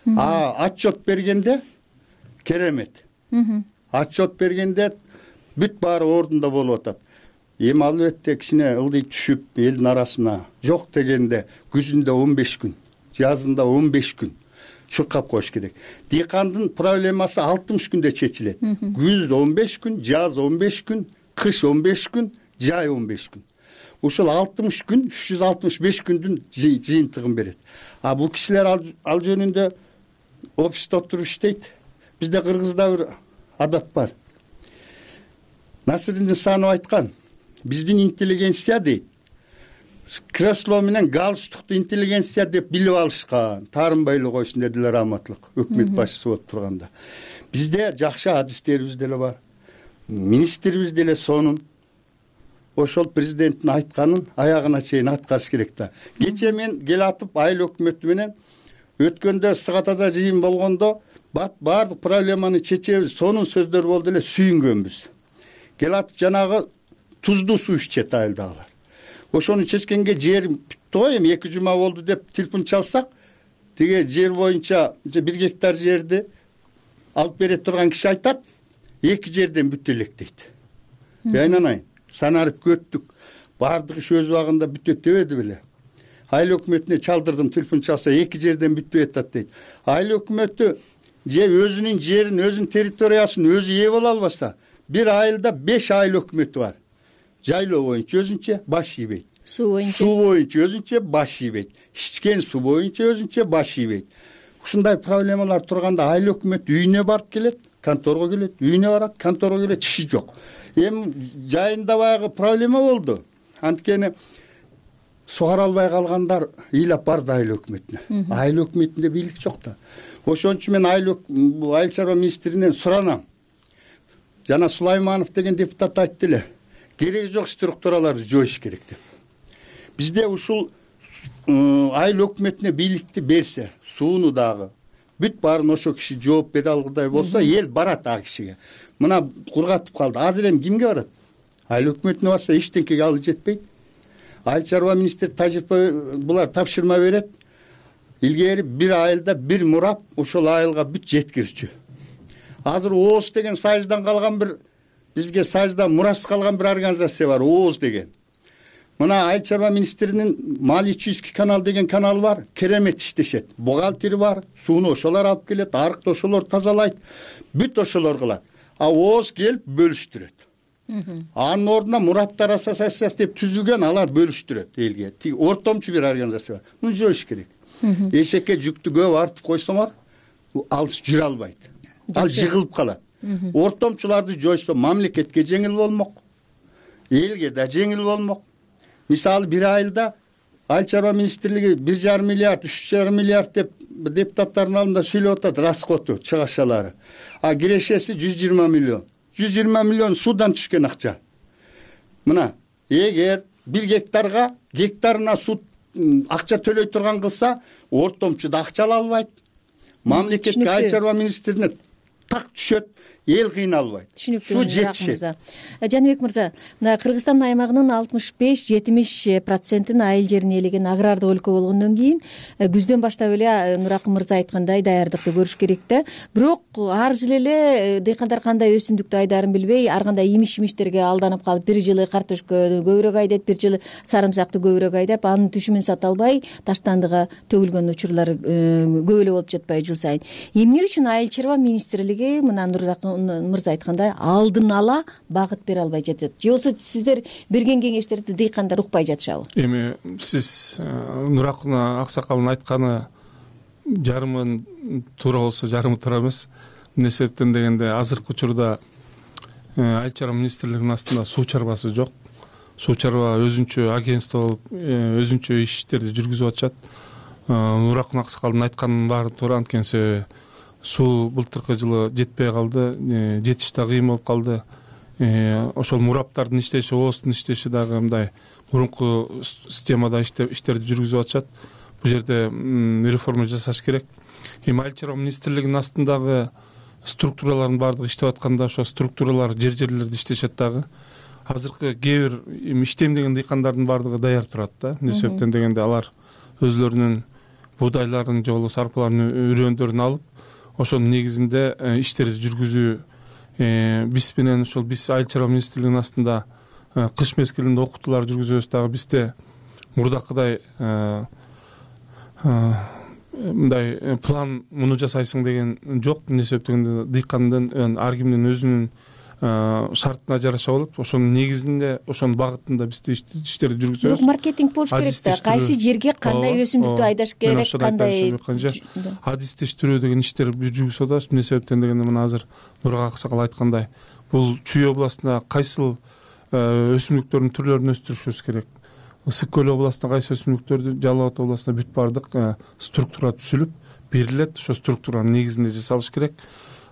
Отчет бергенде керемет. Отчет бергенде бүт баары ордунда болуп атат. Эми албетте кичине ылдый түшүп элдин арасына жок дегенде күзүндө 15 күн, жазында 15 күн чуркап коюш керек. Дыйкандын проблемасы 60 күндө чечилет. Күз 15 күн, жаз 15 күн, кыш 15 күн, жай 15 күн. Ушул 60 күн 365 күндүн жыйынтыгын берет. Бул кишилер ал жөнүндө офисте отуруп иштейт. Бизде Кыргызда бир адат бар. Насырдин Нысанов айткан, биздин интеллигенция дейт. Кресло менен галстукту интеллигенция деп билип алышкан. Таарынбай койсун дедилер Раматлык өкмөт башчысы болуп турганда. Бизде жакшы адистерибиз деле бар. Министрибиз деле сонун. Ошол президенттин айтканын аягына чейин аткарыш керек да. Кечээ мен келатып айыл өкмөтү менен өткөндө Сыгатада жыйын болгондо баардык проблеманы чечебиз, сонун сөздөр болду эле, сүйүнгөнбүз. Келатып жанагы туздуу суу ичет айылдагылар. Ошону чечкенге жер бүттү го, эми 2 жума болду деп телефон чалсак, тиге жер боюнча 1 гектар жерди алып бере турган киши айтат, 2 жерден бүтө элек дейт. Айнанайын, санарып көттүк, баардык иш өз убагында бүтөт дебеди беле. Айыл өкмөтүнө чалдырдым, телефон чалса 2 жерден бүтпөй атат дейт. Айыл өкмөтү же өзүнүн жерин, өзүнүн территориясын өзү ээ боло албаса, бир айылда 5 айыл өкмөтү бар. Жайлоо боюнча өзүнчө баш ийбейт. Суу боюнча өзүнчө баш ийбейт. Ичкен суу боюнча өзүнчө баш ийбейт. Ушундай проблемалар турганда айыл өкмөт үйүнө барып келет, конторго келет, үйүнө барат, конторго келет, иши жок. Эми жайында баягы проблема болду. Анткени сугара албай калгандар ыйлап барды айыл өкмөтүнө. Айыл өкмөтүндө бийлик жок да. Ошон үчүн мен айыл чарба министринен суранам. Жана Сулайманов деген депутат айтты эле. Кереги жок структураларды жоюш керек деп. Бизде ушул айыл өкмөтүнө бийликти берсе, сууну дагы бүт баарын ошо киши жооп бере алгыдай болсо, эл барат ал кишиге. Мына кургатып калды. Азыр эми кимге барат? Айыл өкмөтүнө барса эчтекеге алы жетпейт. Айыл чарба министри тажрыйба булар тапшырма берет. Илгери бир айылда бир мурап ошол айылга бүт жеткирчү. Азыр ООС деген Союздан калган бир, бизге Союздан мурас калган бир организация бар, ООС деген. Мына айыл чарба министринин Маличийский канал деген каналы бар, керемет иштешет. Бухгалтери бар, сууну ошолор алып келет, арыкты ошолор тазалайт, бүт ошолор кылат. А ООС келип бөлүштүрөт. Анын ордуна мураптар ассоциациясы деп түзүлгөн, алар бөлүштүрөт элге. Тиги ортомчу бир организация бар. Муну жоюш керек. Эшекке жүктү көп артып койсоңор, ал жүрө албайт. Ал жыгылып калат. Ортомчуларды жойсо мамлекетке жеңил болмок, элге да жеңил болмок. Мисалы бир айылда айыл чарба министрлиги 1,5 миллиард, 3,5 миллиард деп депутаттардын алдында сүйлөп атат расходу, чыгашалары. А кирешеси 120 миллион. 120 миллион суудан түшкөн акча. Мына, эгер 1 гектарына суу акча төлөй турган кылса, ортомчу да акча ала албайт. Мамлекетке айыл чарба министрине так түшөт, эл кыйналбайт. Суу жетишет. Жаныбек мырза, мына Кыргызстан аймагынын 65-70% айыл жерин ээлеген агрардык өлкө болгондон кийин күздөн баштап эле Нуракын мырза айткандай даярдыкты көрүш керек да. Бирок ар жылы эле дыйкандар кандай өсүмдүктү айдарын билбей, ар кандай имиш-имиштерге алданып калып, бир жылы картошка көбүрөөк айдайт, бир жылы сарымсакты көбүрөөк айдап, анын түшүмүн сата албай таштандыга төгүлгөн учурлар көп эле болуп жатпайбы жыл сайын. Эмне үчүн айыл чарба министрлиги мына Нуракын мырза айткандай алдын ала багыт бере албай жатат? Же болбосо сиздер берген кеңештерди дыйкандар укпай жатышабы? Эми сиз Нуракын аксакалдын айтканы жарымы туура болсо жарымы туура эмес. Эмне себептен дегенде азыркы учурда айыл чарба министрлигинин астында суу чарбасы жок. Суу чарба өзүнчө агентство болуп, өзүнчө иштерди жүргүзүп атышат. Нуракын аксакалдын айтканынын баары туура, анткени суу былтыркы жылы жетпей калды, жетиш да кыйын болуп калды. Ошол мураптардын иштеши, ООСтун иштеши дагы мындай мурунку системада иштерди жүргүзүп атышат. Бул жерде реформа жасаш керек. Эми айыл чарба министрлигинин астындагы структуралардын баардыгы иштеп атканда, ошо структуралар жерлерде иштешет дагы. Азыркы кээ бир иштейм деген дыйкандардын баардыгы даяр турат да. Эмне себептен дегенде алар өзлөрүнүн буудайларын же болбосо арпаларын, үрөндөрүн алып, ошонун негизинде иштерди жүргүзүү, биз менен ошол биз айыл чарба министрлигинин астында кыш мезгилинде окутуулар жүргүзөбүз дагы. Бизде мурдакыдай мындай план муну жасайсың деген жок. Эмне себептен дыйкандын ар кимдин өзүнүн шартына жараша болот. Ошонун негизинде, ошонун багытында биз иштерди жүргүзөбүз. Бирок маркетинг болуш керек да. Кайсы жерге кандай өсүмдүктү айдаш керек, кандай адистештирүү деген иштер жүргүзүп атабыз. Эмне себептен дегенде мына азыр Нурак аксакал айткандай, бул Чүй областында кайсыл өсүмдүктөрдүн түрлөрүн өстүрүшүбүз керек. Ысык көл областында кайсы өсүмдүктөрдү, Жалал Абад областында бүт баардык структура түзүлүп берилет. Ошо структуранын негизинде жасалыш керек.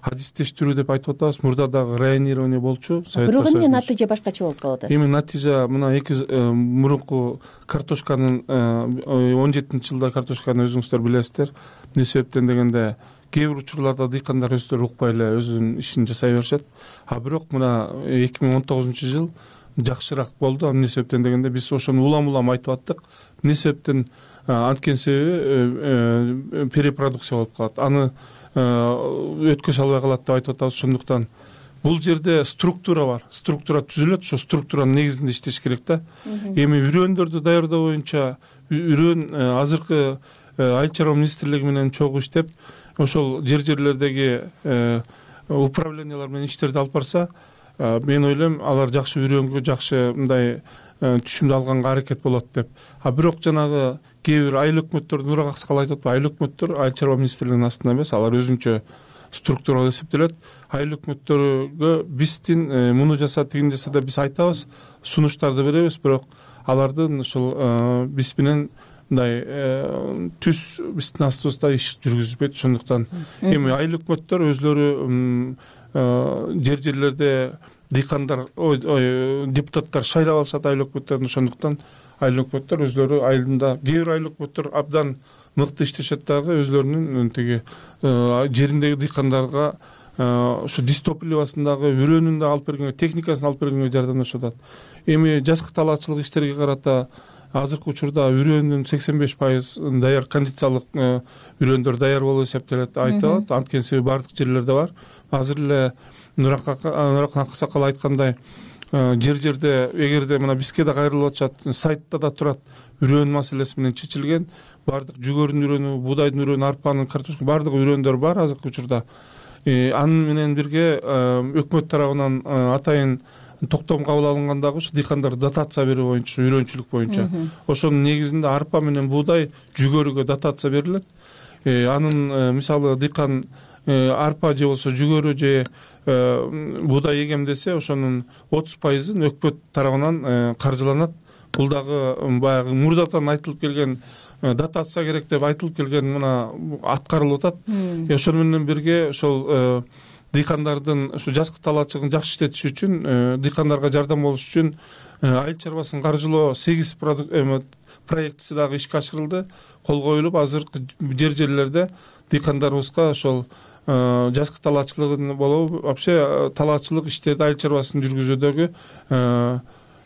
Адистештирүү деп айтып атабыз. Мурда дагы районирование болчу. Бирок эмне натыйжа башкача болуп калып атат? Эми натыйжа мына мурунку картошканын 17-жылда картошканы өзүңүздөр билесиздер. Эмне себептен дегенде кээ бир учурларда дыйкандар өздөрү укпай эле өзүнүн ишин жасай беришет. А бирок мына 2019-жыл жакшыраак болду. Эмне себептен дегенде биз ошону улам айтып аттык. Эмне себептен анткени себеби перепродукция болуп калат. Аны өткөзө албай калат деп айтып атабыз. Ошондуктан бул жерде структура бар. Структура түзүлөт. Ошо структуранын негизинде иштеш керек да. Эми үрөндөрдү даярдоо боюнча үрөн азыркы айыл чарба министрлиги менен чогуу иштеп, ошол жерлердеги управлениялар менен иштерди алып барса, мен ойлойм алар жакшы үрөнгө жакшы мындай түшүмдү алганга аракет болот деп. А бирок жанагы кээ бир айыл өкмөттөрдүн Нурак аксакал айтып атпайбы, айыл өкмөттөр айыл чарба министрлигинин астында эмес, алар өзүнчө структуралар эсептелет. Айыл өкмөттөргө биздин муну жаса, тигини жаса деп биз айтабыз, сунуштарды беребиз, бирок алардын ушул биз менен мындай түз биздин астыбызда иш жүргүзбөйт. Ошондуктан эми айыл өкмөттөр өзлөрү жерлерде дыйкандар депутаттар шайлап алышат айыл өкмөттөрүн. Ошондуктан айыл өкмөттөр өзлөрү айылында, кээ бир айыл өкмөттөр абдан мыкты иштешет дагы, өзлөрүнүн тиги жериндеги дыйкандарга ушу дистопливасындагы үрөөнүн да алып бергенге, техникасын алып бергенге жардамдашып атат. Эми жазкы талаачылык иштерге карата азыркы учурда үрөөнүн 85% даяр, кондициялык үрөөндөр даяр болуп эсептелет айтылат. Анткени себеби бардык жерлерде бар. Азыр эле Нуракын Аксакал айткандай, жерде эгерде мына бизге да кайрылып атышат, сайтта да турат, үрөөн маселеси менен чечилген. Бардык жүгөрүнүн үрөөнү, буудайдын үрөөнү, арпанын, картошка бардык үрөөндөр бар азыркы учурда. Анын менен бирге өкмөт тарабынан атайын токтом кабыл алынган дагы ушу дыйкандар дотация берүү боюнча, үрөөнчүлүк боюнча. Ошонун негизинде арпа менен буудай, жүгөрүгө дотация берилет. Анын мисалы дыйкан арпа же болсо жүгөрү же буудай эгемдесе, ошонун 30%-ын өкмөт тарабынан каржыланат. Бул дагы баягы мурдатан айтылып келген дотация керек деп айтылып келген мына аткарылып атат. Ошону менен бирге ошол дыйкандардын ушу жазкы талаачылыгын жакшы иштетиши үчүн, дыйкандарга жардам болуш үчүн айыл чарбасын каржылоо 8 проектиси дагы ишке ашырылды, кол коюлуп, азыркы жерлерде дыйкандарыбызга ошол жазкы талаачылыгын болобу, вообще талаачылык иштерди айыл чарбасын жүргүзүүдөгү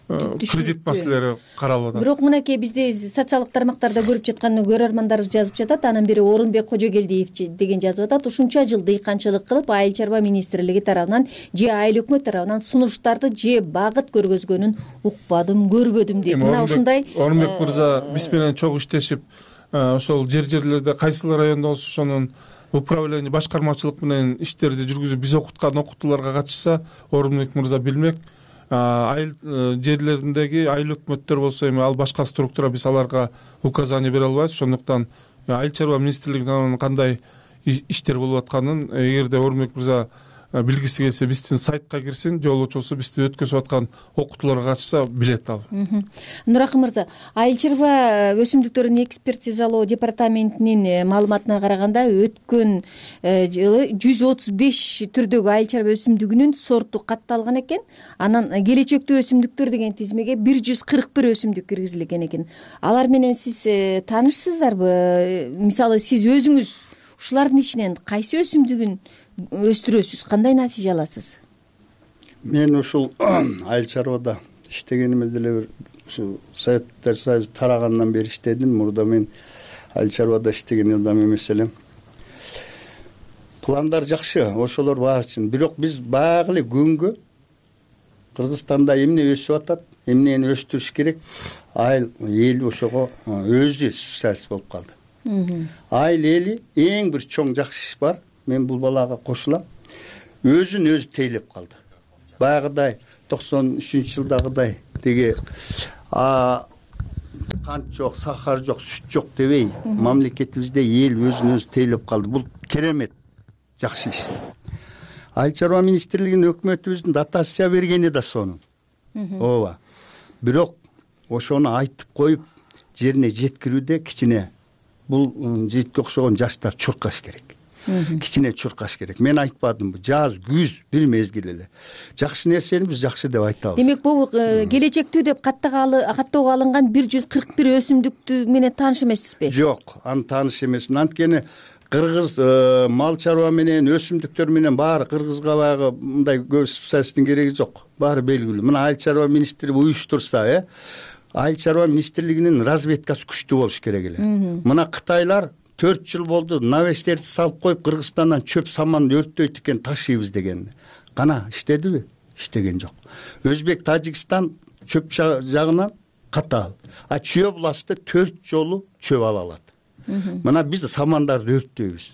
кредит маселелери каралып атат. Бирок мынакей бизде социалдык тармактарда көрүп жаткан көрөрмандарыбыз жазып жатат. Анын бири Орунбек Кожогелдиев деген жазып атат. Ушунча жыл дыйканчылык кылып, айыл чарба министрлиги тарабынан же айыл өкмөт тарабынан сунуштарды же багыт көргөзгөнүн укпадым, көрбөдүм дейт. Мына ушундай Орунбек мырза биз менен чогуу иштешип, ошол жерлерде кайсыл райондо болсо ошонун управление, башкармачылык менен иштерди жүргүзүп, биз окуткан окутууларга катышса, Орунбек мырза билмек. Айыл жерлериндеги айыл өкмөттөр болсо эми ал башка структура, биз аларга указание бере албайбыз. Ошондуктан айыл чарба министрлигинин кандай иштер болуп атканын, эгерде Орунбек мырза билгиси келсе, биздин сайтка кирсин, жолоочусу бизде өткөзүп аткан окутууларга катышса билет ал. Нуракын мырза, айыл чарба өсүмдүктөрүн экспертизалоо департаментинин маалыматына караганда, өткөн жылы 135 түрдөгү айыл чарба өсүмдүгүнүн сорту катталган экен. Анан келечектүү өсүмдүктөр деген тизмеге 141 өсүмдүк киргизилген экен. Алар менен сиз таанышсыздарбы? Мисалы, сиз өзүңүз ушулардын ичинен кайсы өсүмдүгүн өстүрөсүз, кандай натыйжа аласыз? Мен ушул айыл чарбада иштегениме деле бир ушу Советтер Союзу тарагандан бери иштедим. Мурда мен айыл чарбада иштеген элдам эмес элем. Пландар жакшы, ошолор баары үчүн. Бирок биз баягы эле күнгө Кыргызстанда эмне өсүп атат, эмнени өстүрүш керек, айыл эл ошого өзү специалист болуп калды. Айыл эли эң бир чоң жакшы иш бар. Мен бул балага кошулам. Өзүн өзү тейлеп калды. Баягыдай 93-жылдагыдай деге кант жок, сахар жок, сүт жок дебей, мамлекетибизде эл өзүн өзү тейлеп калды. Бул керемет жакшы иш. Айыл чарба министрлигинин өкмөтүбүздүн дотация бергени да сонун. Ооба. Бирок ошону айтып коюп, жерине жеткирүүдө кичине бул жигитке окшогон жаштар чуркаш керек. Кичине чуркаш керек. Мен айтпадымбы, жаз, күз бир мезгил эле. Жакшы нерсени биз жакшы деп айтабыз. Демек, бул келечектүү деп каттоого алынган 141 өсүмдүктү менен тааныш эмессизби? Жок, аны тааныш эмесмин. Анткени кыргыз мал чарба менен өсүмдүктөр менен баары кыргызга баягы мындай көп специалисттин кереги жок. Баары белгилүү. Мына айыл чарба министрлиги уюштурса, айыл чарба министрлигинин разведкасы күчтүү болуш керек эле. Мына Кытайлар 4 жыл болду навестерди салып коюп, Кыргызстандан чөп саманды өрттөйт экен, ташыйбыз деген. Кана иштедиби? Иштеген жок. Өзбек, Тажикстан чөп жагынан катаал. А Чүй областы 4 жолу чөп ала алат. Мына биз самандарды өрттөйбүз.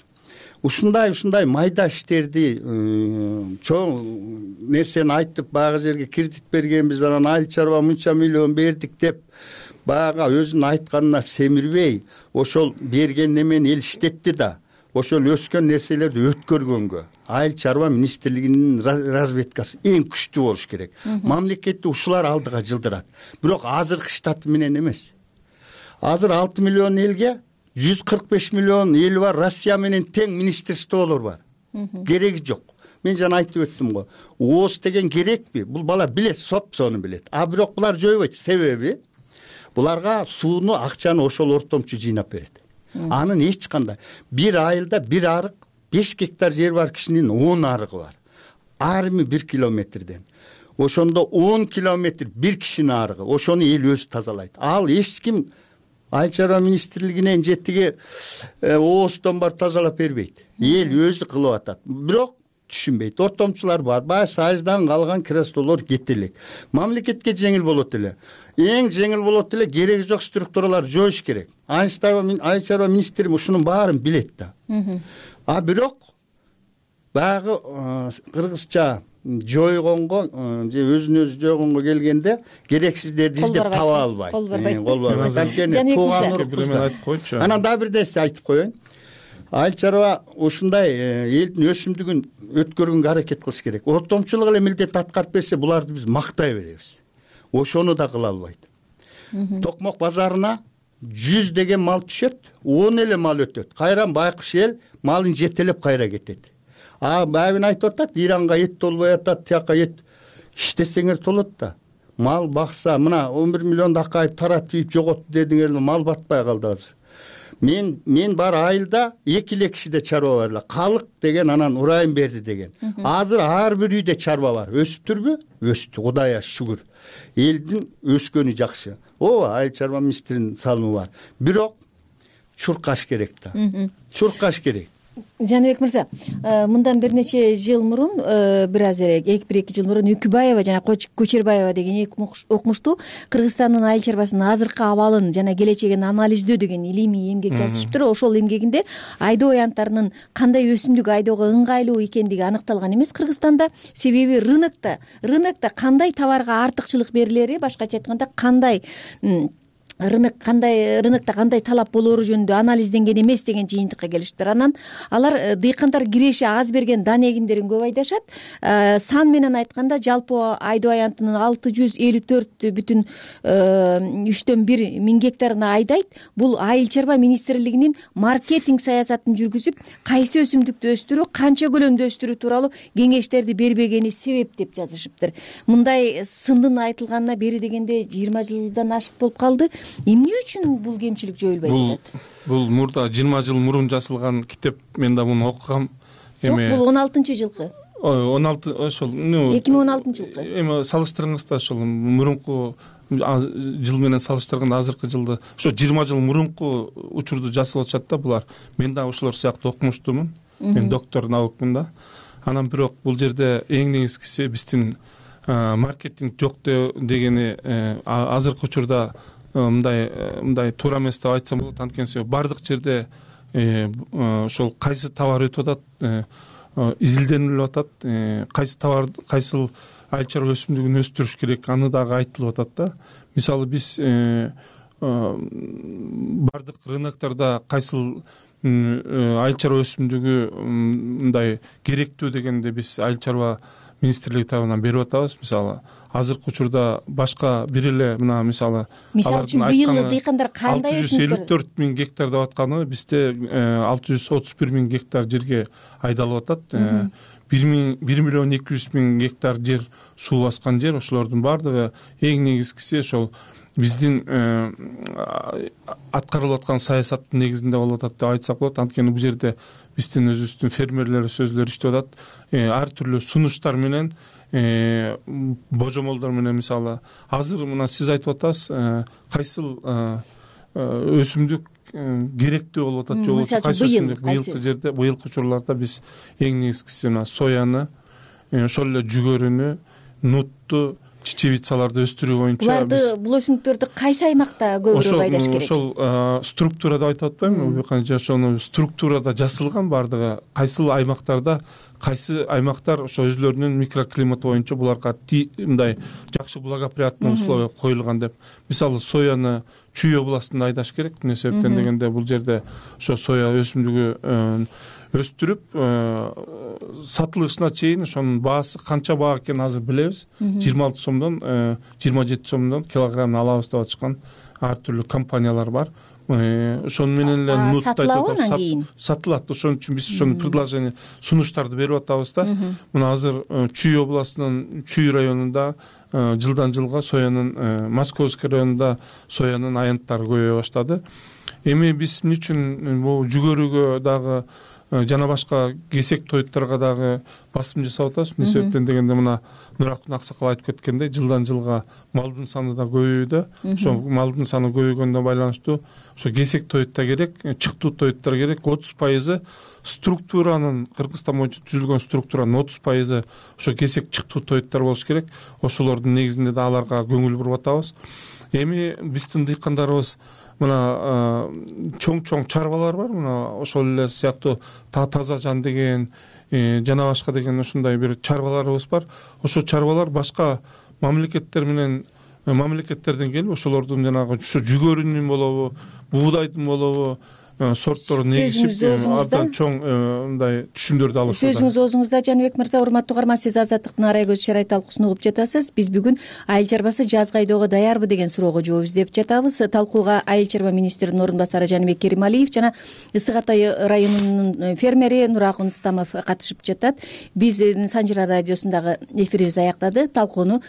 Ушундай майда иштерди, чоң нерсени айтып, баягы жерге кредит бергенбиз, анан айыл чарба мынча миллион бердик деп, баягы өзүнүн айтканына семирбей, ошол берген немени эл иштетти да, ошол өскөн нерселерди өткөргөнгө айыл чарба министрлигинин разведкасы эң күчтүү болуш керек. Мамлекетти ушулар алдыга жылдырат. Бирок азыркы штат менен эмес. Азыр 6 миллион элге 145 миллион эл бар, Россия менен тең министрликтер бар. Кереги жок. мен жана айтып өттүм го, ооз деген керекпи? Бул бала билет, сону билет. А бирок булар жойбойт. Себеби буларга сууну, акчаны ошол ортомчу жыйнап берет. Анын эч кандай бир айылда бир арык 5 гектар жер бар кишинин 10 арыгы бар. Арымы 1 километрден. Ошондо 10 километр бир кишинин арыгы. Ошону эл өзү тазалайт. Ал эч ким Айыл чарба министрлигинен жетиге ооздон бар тазалап бербейт. Эл өзү кылып атат. Бирок түшүнбөйт. Ортомчулар бар. Баягы сайыздан калган креслолор кете элек. Мамлекетке жеңил болот эле. Эң жеңил болот эле, кереги жок структуралар жоюш керек. Айыл чарба министри ушунун баарын билет да. А бирок баягы кыргызча жойгонго же өзүн өзү жойгонго келгенде керексиздерди издеп таба албайт. Кол барбайт. Анткени тууган айтып койчу. Анан дагы бир нерсе айтып коеюн. Айыл чарба ушундай элдин өсүмдүгүн өткөргөнгө аракет кылыш керек. Ортомчулук эле милдет аткарып берсе, буларды биз мактай беребиз. Ошону да кыла албайт. Токмок базарына 100 деген мал түшөт, 10 эле мал өтөт. Кайран байкуш эл малын жетелеп кайра кетет. Байбин айтып атат, Иранга эт толбой атат, тияка эт иштесеңер толот да. Мал бакса, мына 11 миллион Акаев таратып жоготту дедиңер, мал батпай калды азыр. Мен бар айылда 2 кишиде чарба бар эле. Калык деген анан урайым берди деген. Азыр ар бир үйдө чарба бар. Өсүптүрбү? Өстү, Кудайга шүгүр. Элдин өскөнү жакшы. Айыл чарба министринин салымы бар. Бирок чуркаш керек да. Чуркаш керек. Жаныбек мырза, мындан бир нече жыл мурун, бир аз эле 1-2 жыл мурун Үкүбаева жана Көчөрбаева деген эки окумуштуу Кыргызстандын айыл чарбасынын азыркы абалын жана келечегин анализдөө деген илимий эмгек жазышыптыр. Ошол эмгегинде айдоо аянттарынын кандай өсүмдүк айдоого ыңгайлуу экендиги аныкталган эмес Кыргызстанда. Себеби рынокто кандай товарга артыкчылык берилери, башкача айтканда рынокто кандай талап болоору жөнүндө анализденген эмес деген жыйынтыкка келиштир. Анан алар дыйкандар киреши аз берген дан эгиндерин көп айдашат. Сан менен айтканда жалпы айдоо аянтынын 654,3 миң гектарын айдайт. Бул айыл чарба министрлигинин маркетинг саясатын жүргүзүп, кайсы өсүмдүктү өстүрүү, канча көлөмдө өстүрүү тууралуу кеңештерди бербегени себеп деп жазышыптыр. Мындай сындын айтылганына бери дегенде 20 жылдан ашык болуп калды. Эмне үчүн бул кемчилик жоюлбай жатат? Бул мурда 20 жыл мурун жазылган китеп, мен да муну окугам. Жок, бул 16-жылкы. 16 ошол 2016-жылкы. Эми салыштырыңызда ошол мурунку жыл менен салыштырганда азыркы жылды, ошо 20 жыл мурунку учурду жазып атышат да булар. Мен да ошолор сыяктуу окумуштумун. Мен доктор наукмун да. Анан бирок бул жерде эң негизгиси биздин маркетинг жок дегени азыркы учурда мындай туура эмес деп айтсам болот. Анткени бардык жерде ошол кайсы товар өтүп атат, изилденип атат, кайсыл айыл чарба өсүмдүгүн өстүрүш керек, аны дагы айтылып атат да. Мисалы биз бардык рыноктордо кайсыл айыл чарба өсүмдүгү мындай керектүү дегенде биз айыл чарба министрлиги тарабынан берип атабыз. Мисалы азыркы учурда башка бир эле мына мисалы үчүн быйыл дыйкандар кандай 654 миң гектар деп атканы бизде 631 миң гектар жерге айдалып атат. 1 миллион 200 миң гектар жер суу баскан жер. Ошолордун баардыгы эң негизгиси ошол биздин аткарылып аткан саясаттын негизинде болуп атат деп айтсак болот. Анткени бул жерде биздин өзүбүздүн фермерлер сөзлөр иштеп атат. Ар түрлүү сунуштар менен, божомолдор менен, мисалы азыр мына сиз айтып атасыз, кайсыл өсүмдүк керектүү болуп атат, жок кайсы өсүмдүк быйылкы жерде, быйылкы учурларда биз эң негизгиси мына сояны, ошол эле жүгөрүнү, нутту, чечевицаларды өстүрүү боюнча буларды бул өсүмдүктөрдү кайсы аймакта көбүрөөк айдаш керек? Ошол структура деп айтып атпаймынбы? Ошону структурада жасалган бардыгы. Кайсыл аймактарда, кайсы аймактар ошо өзлөрүнүн микроклиматы боюнча буларга мындай жакшы благоприятный условия коюлган деп. Мисалы сояны Чүй областында айдаш керек. Эмне себептен дегенде бул жерде ошо соя өсүмдүгү өстүрүп сатылышына чейин ошонун баасы канча баа экенин азыр билебиз. 26 сомдон 27 сомдон килограммын алабыз деп атышкан ар түрлүү компаниялар бар. ошону менен эле нут сатылабы анан кийин? Сатылат. Ошон үчүн биз ошону предложение сунуштарды берип атабыз да. Мына азыр Чүй областынын Чүй районунда жылдан жылга соянын, Московский районунда соянын аянттары көбөйө баштады. Эми биз эмне үчүн бул жүгөрүгө дагы жана башка кесек тоюттарга дагы басым жасап атабыз. Эмне себептен дегенде мына Нуракун аксакал айтып кеткендей, жылдан жылга малдын саны да көбөйүүдө. Ошо малдын саны көбөйгөнүнө байланыштуу ошо кесек тоют да керек, чыктуу тоюттар керек. 30% структуранын, Кыргызстан боюнча түзүлгөн структуранын 30% ошо кесек чыктуу тоюттар болуш керек. Ошолордун негизинде да аларга көңүл буруп атабыз. Эми биздин дыйкандарыбыз мына чоң чарбалар бар, мына ошол эле сыяктуу Таза Жан деген жана башка деген ушундай бир чарбаларыбыз бар. Ошо чарбалар башка мамлекеттерден келип, ошолордун жанагы ушу жүгөрүнүн болобу, буудайдын болобу сортторун негизип абдан чоң мындай түшүмдөрдү алышат. Сөзүңүз оозуңузда, Жаныбек мырза. Урматтуу угарман, сиз Азаттыктын арай көз шарайт талкуусун угуп жатасыз. Биз бүгүн айыл чарбасы жазгы айдоого даярбы деген суроого жооп издеп жатабыз. Талкууга айыл чарба министринин орун басары Жаныбек Керималиев жана Ысык Атай районунун фермери Нуракун Стамов катышып жатат. Биздин Санжыра радиосундагы эфирибиз аяктады. Талкууну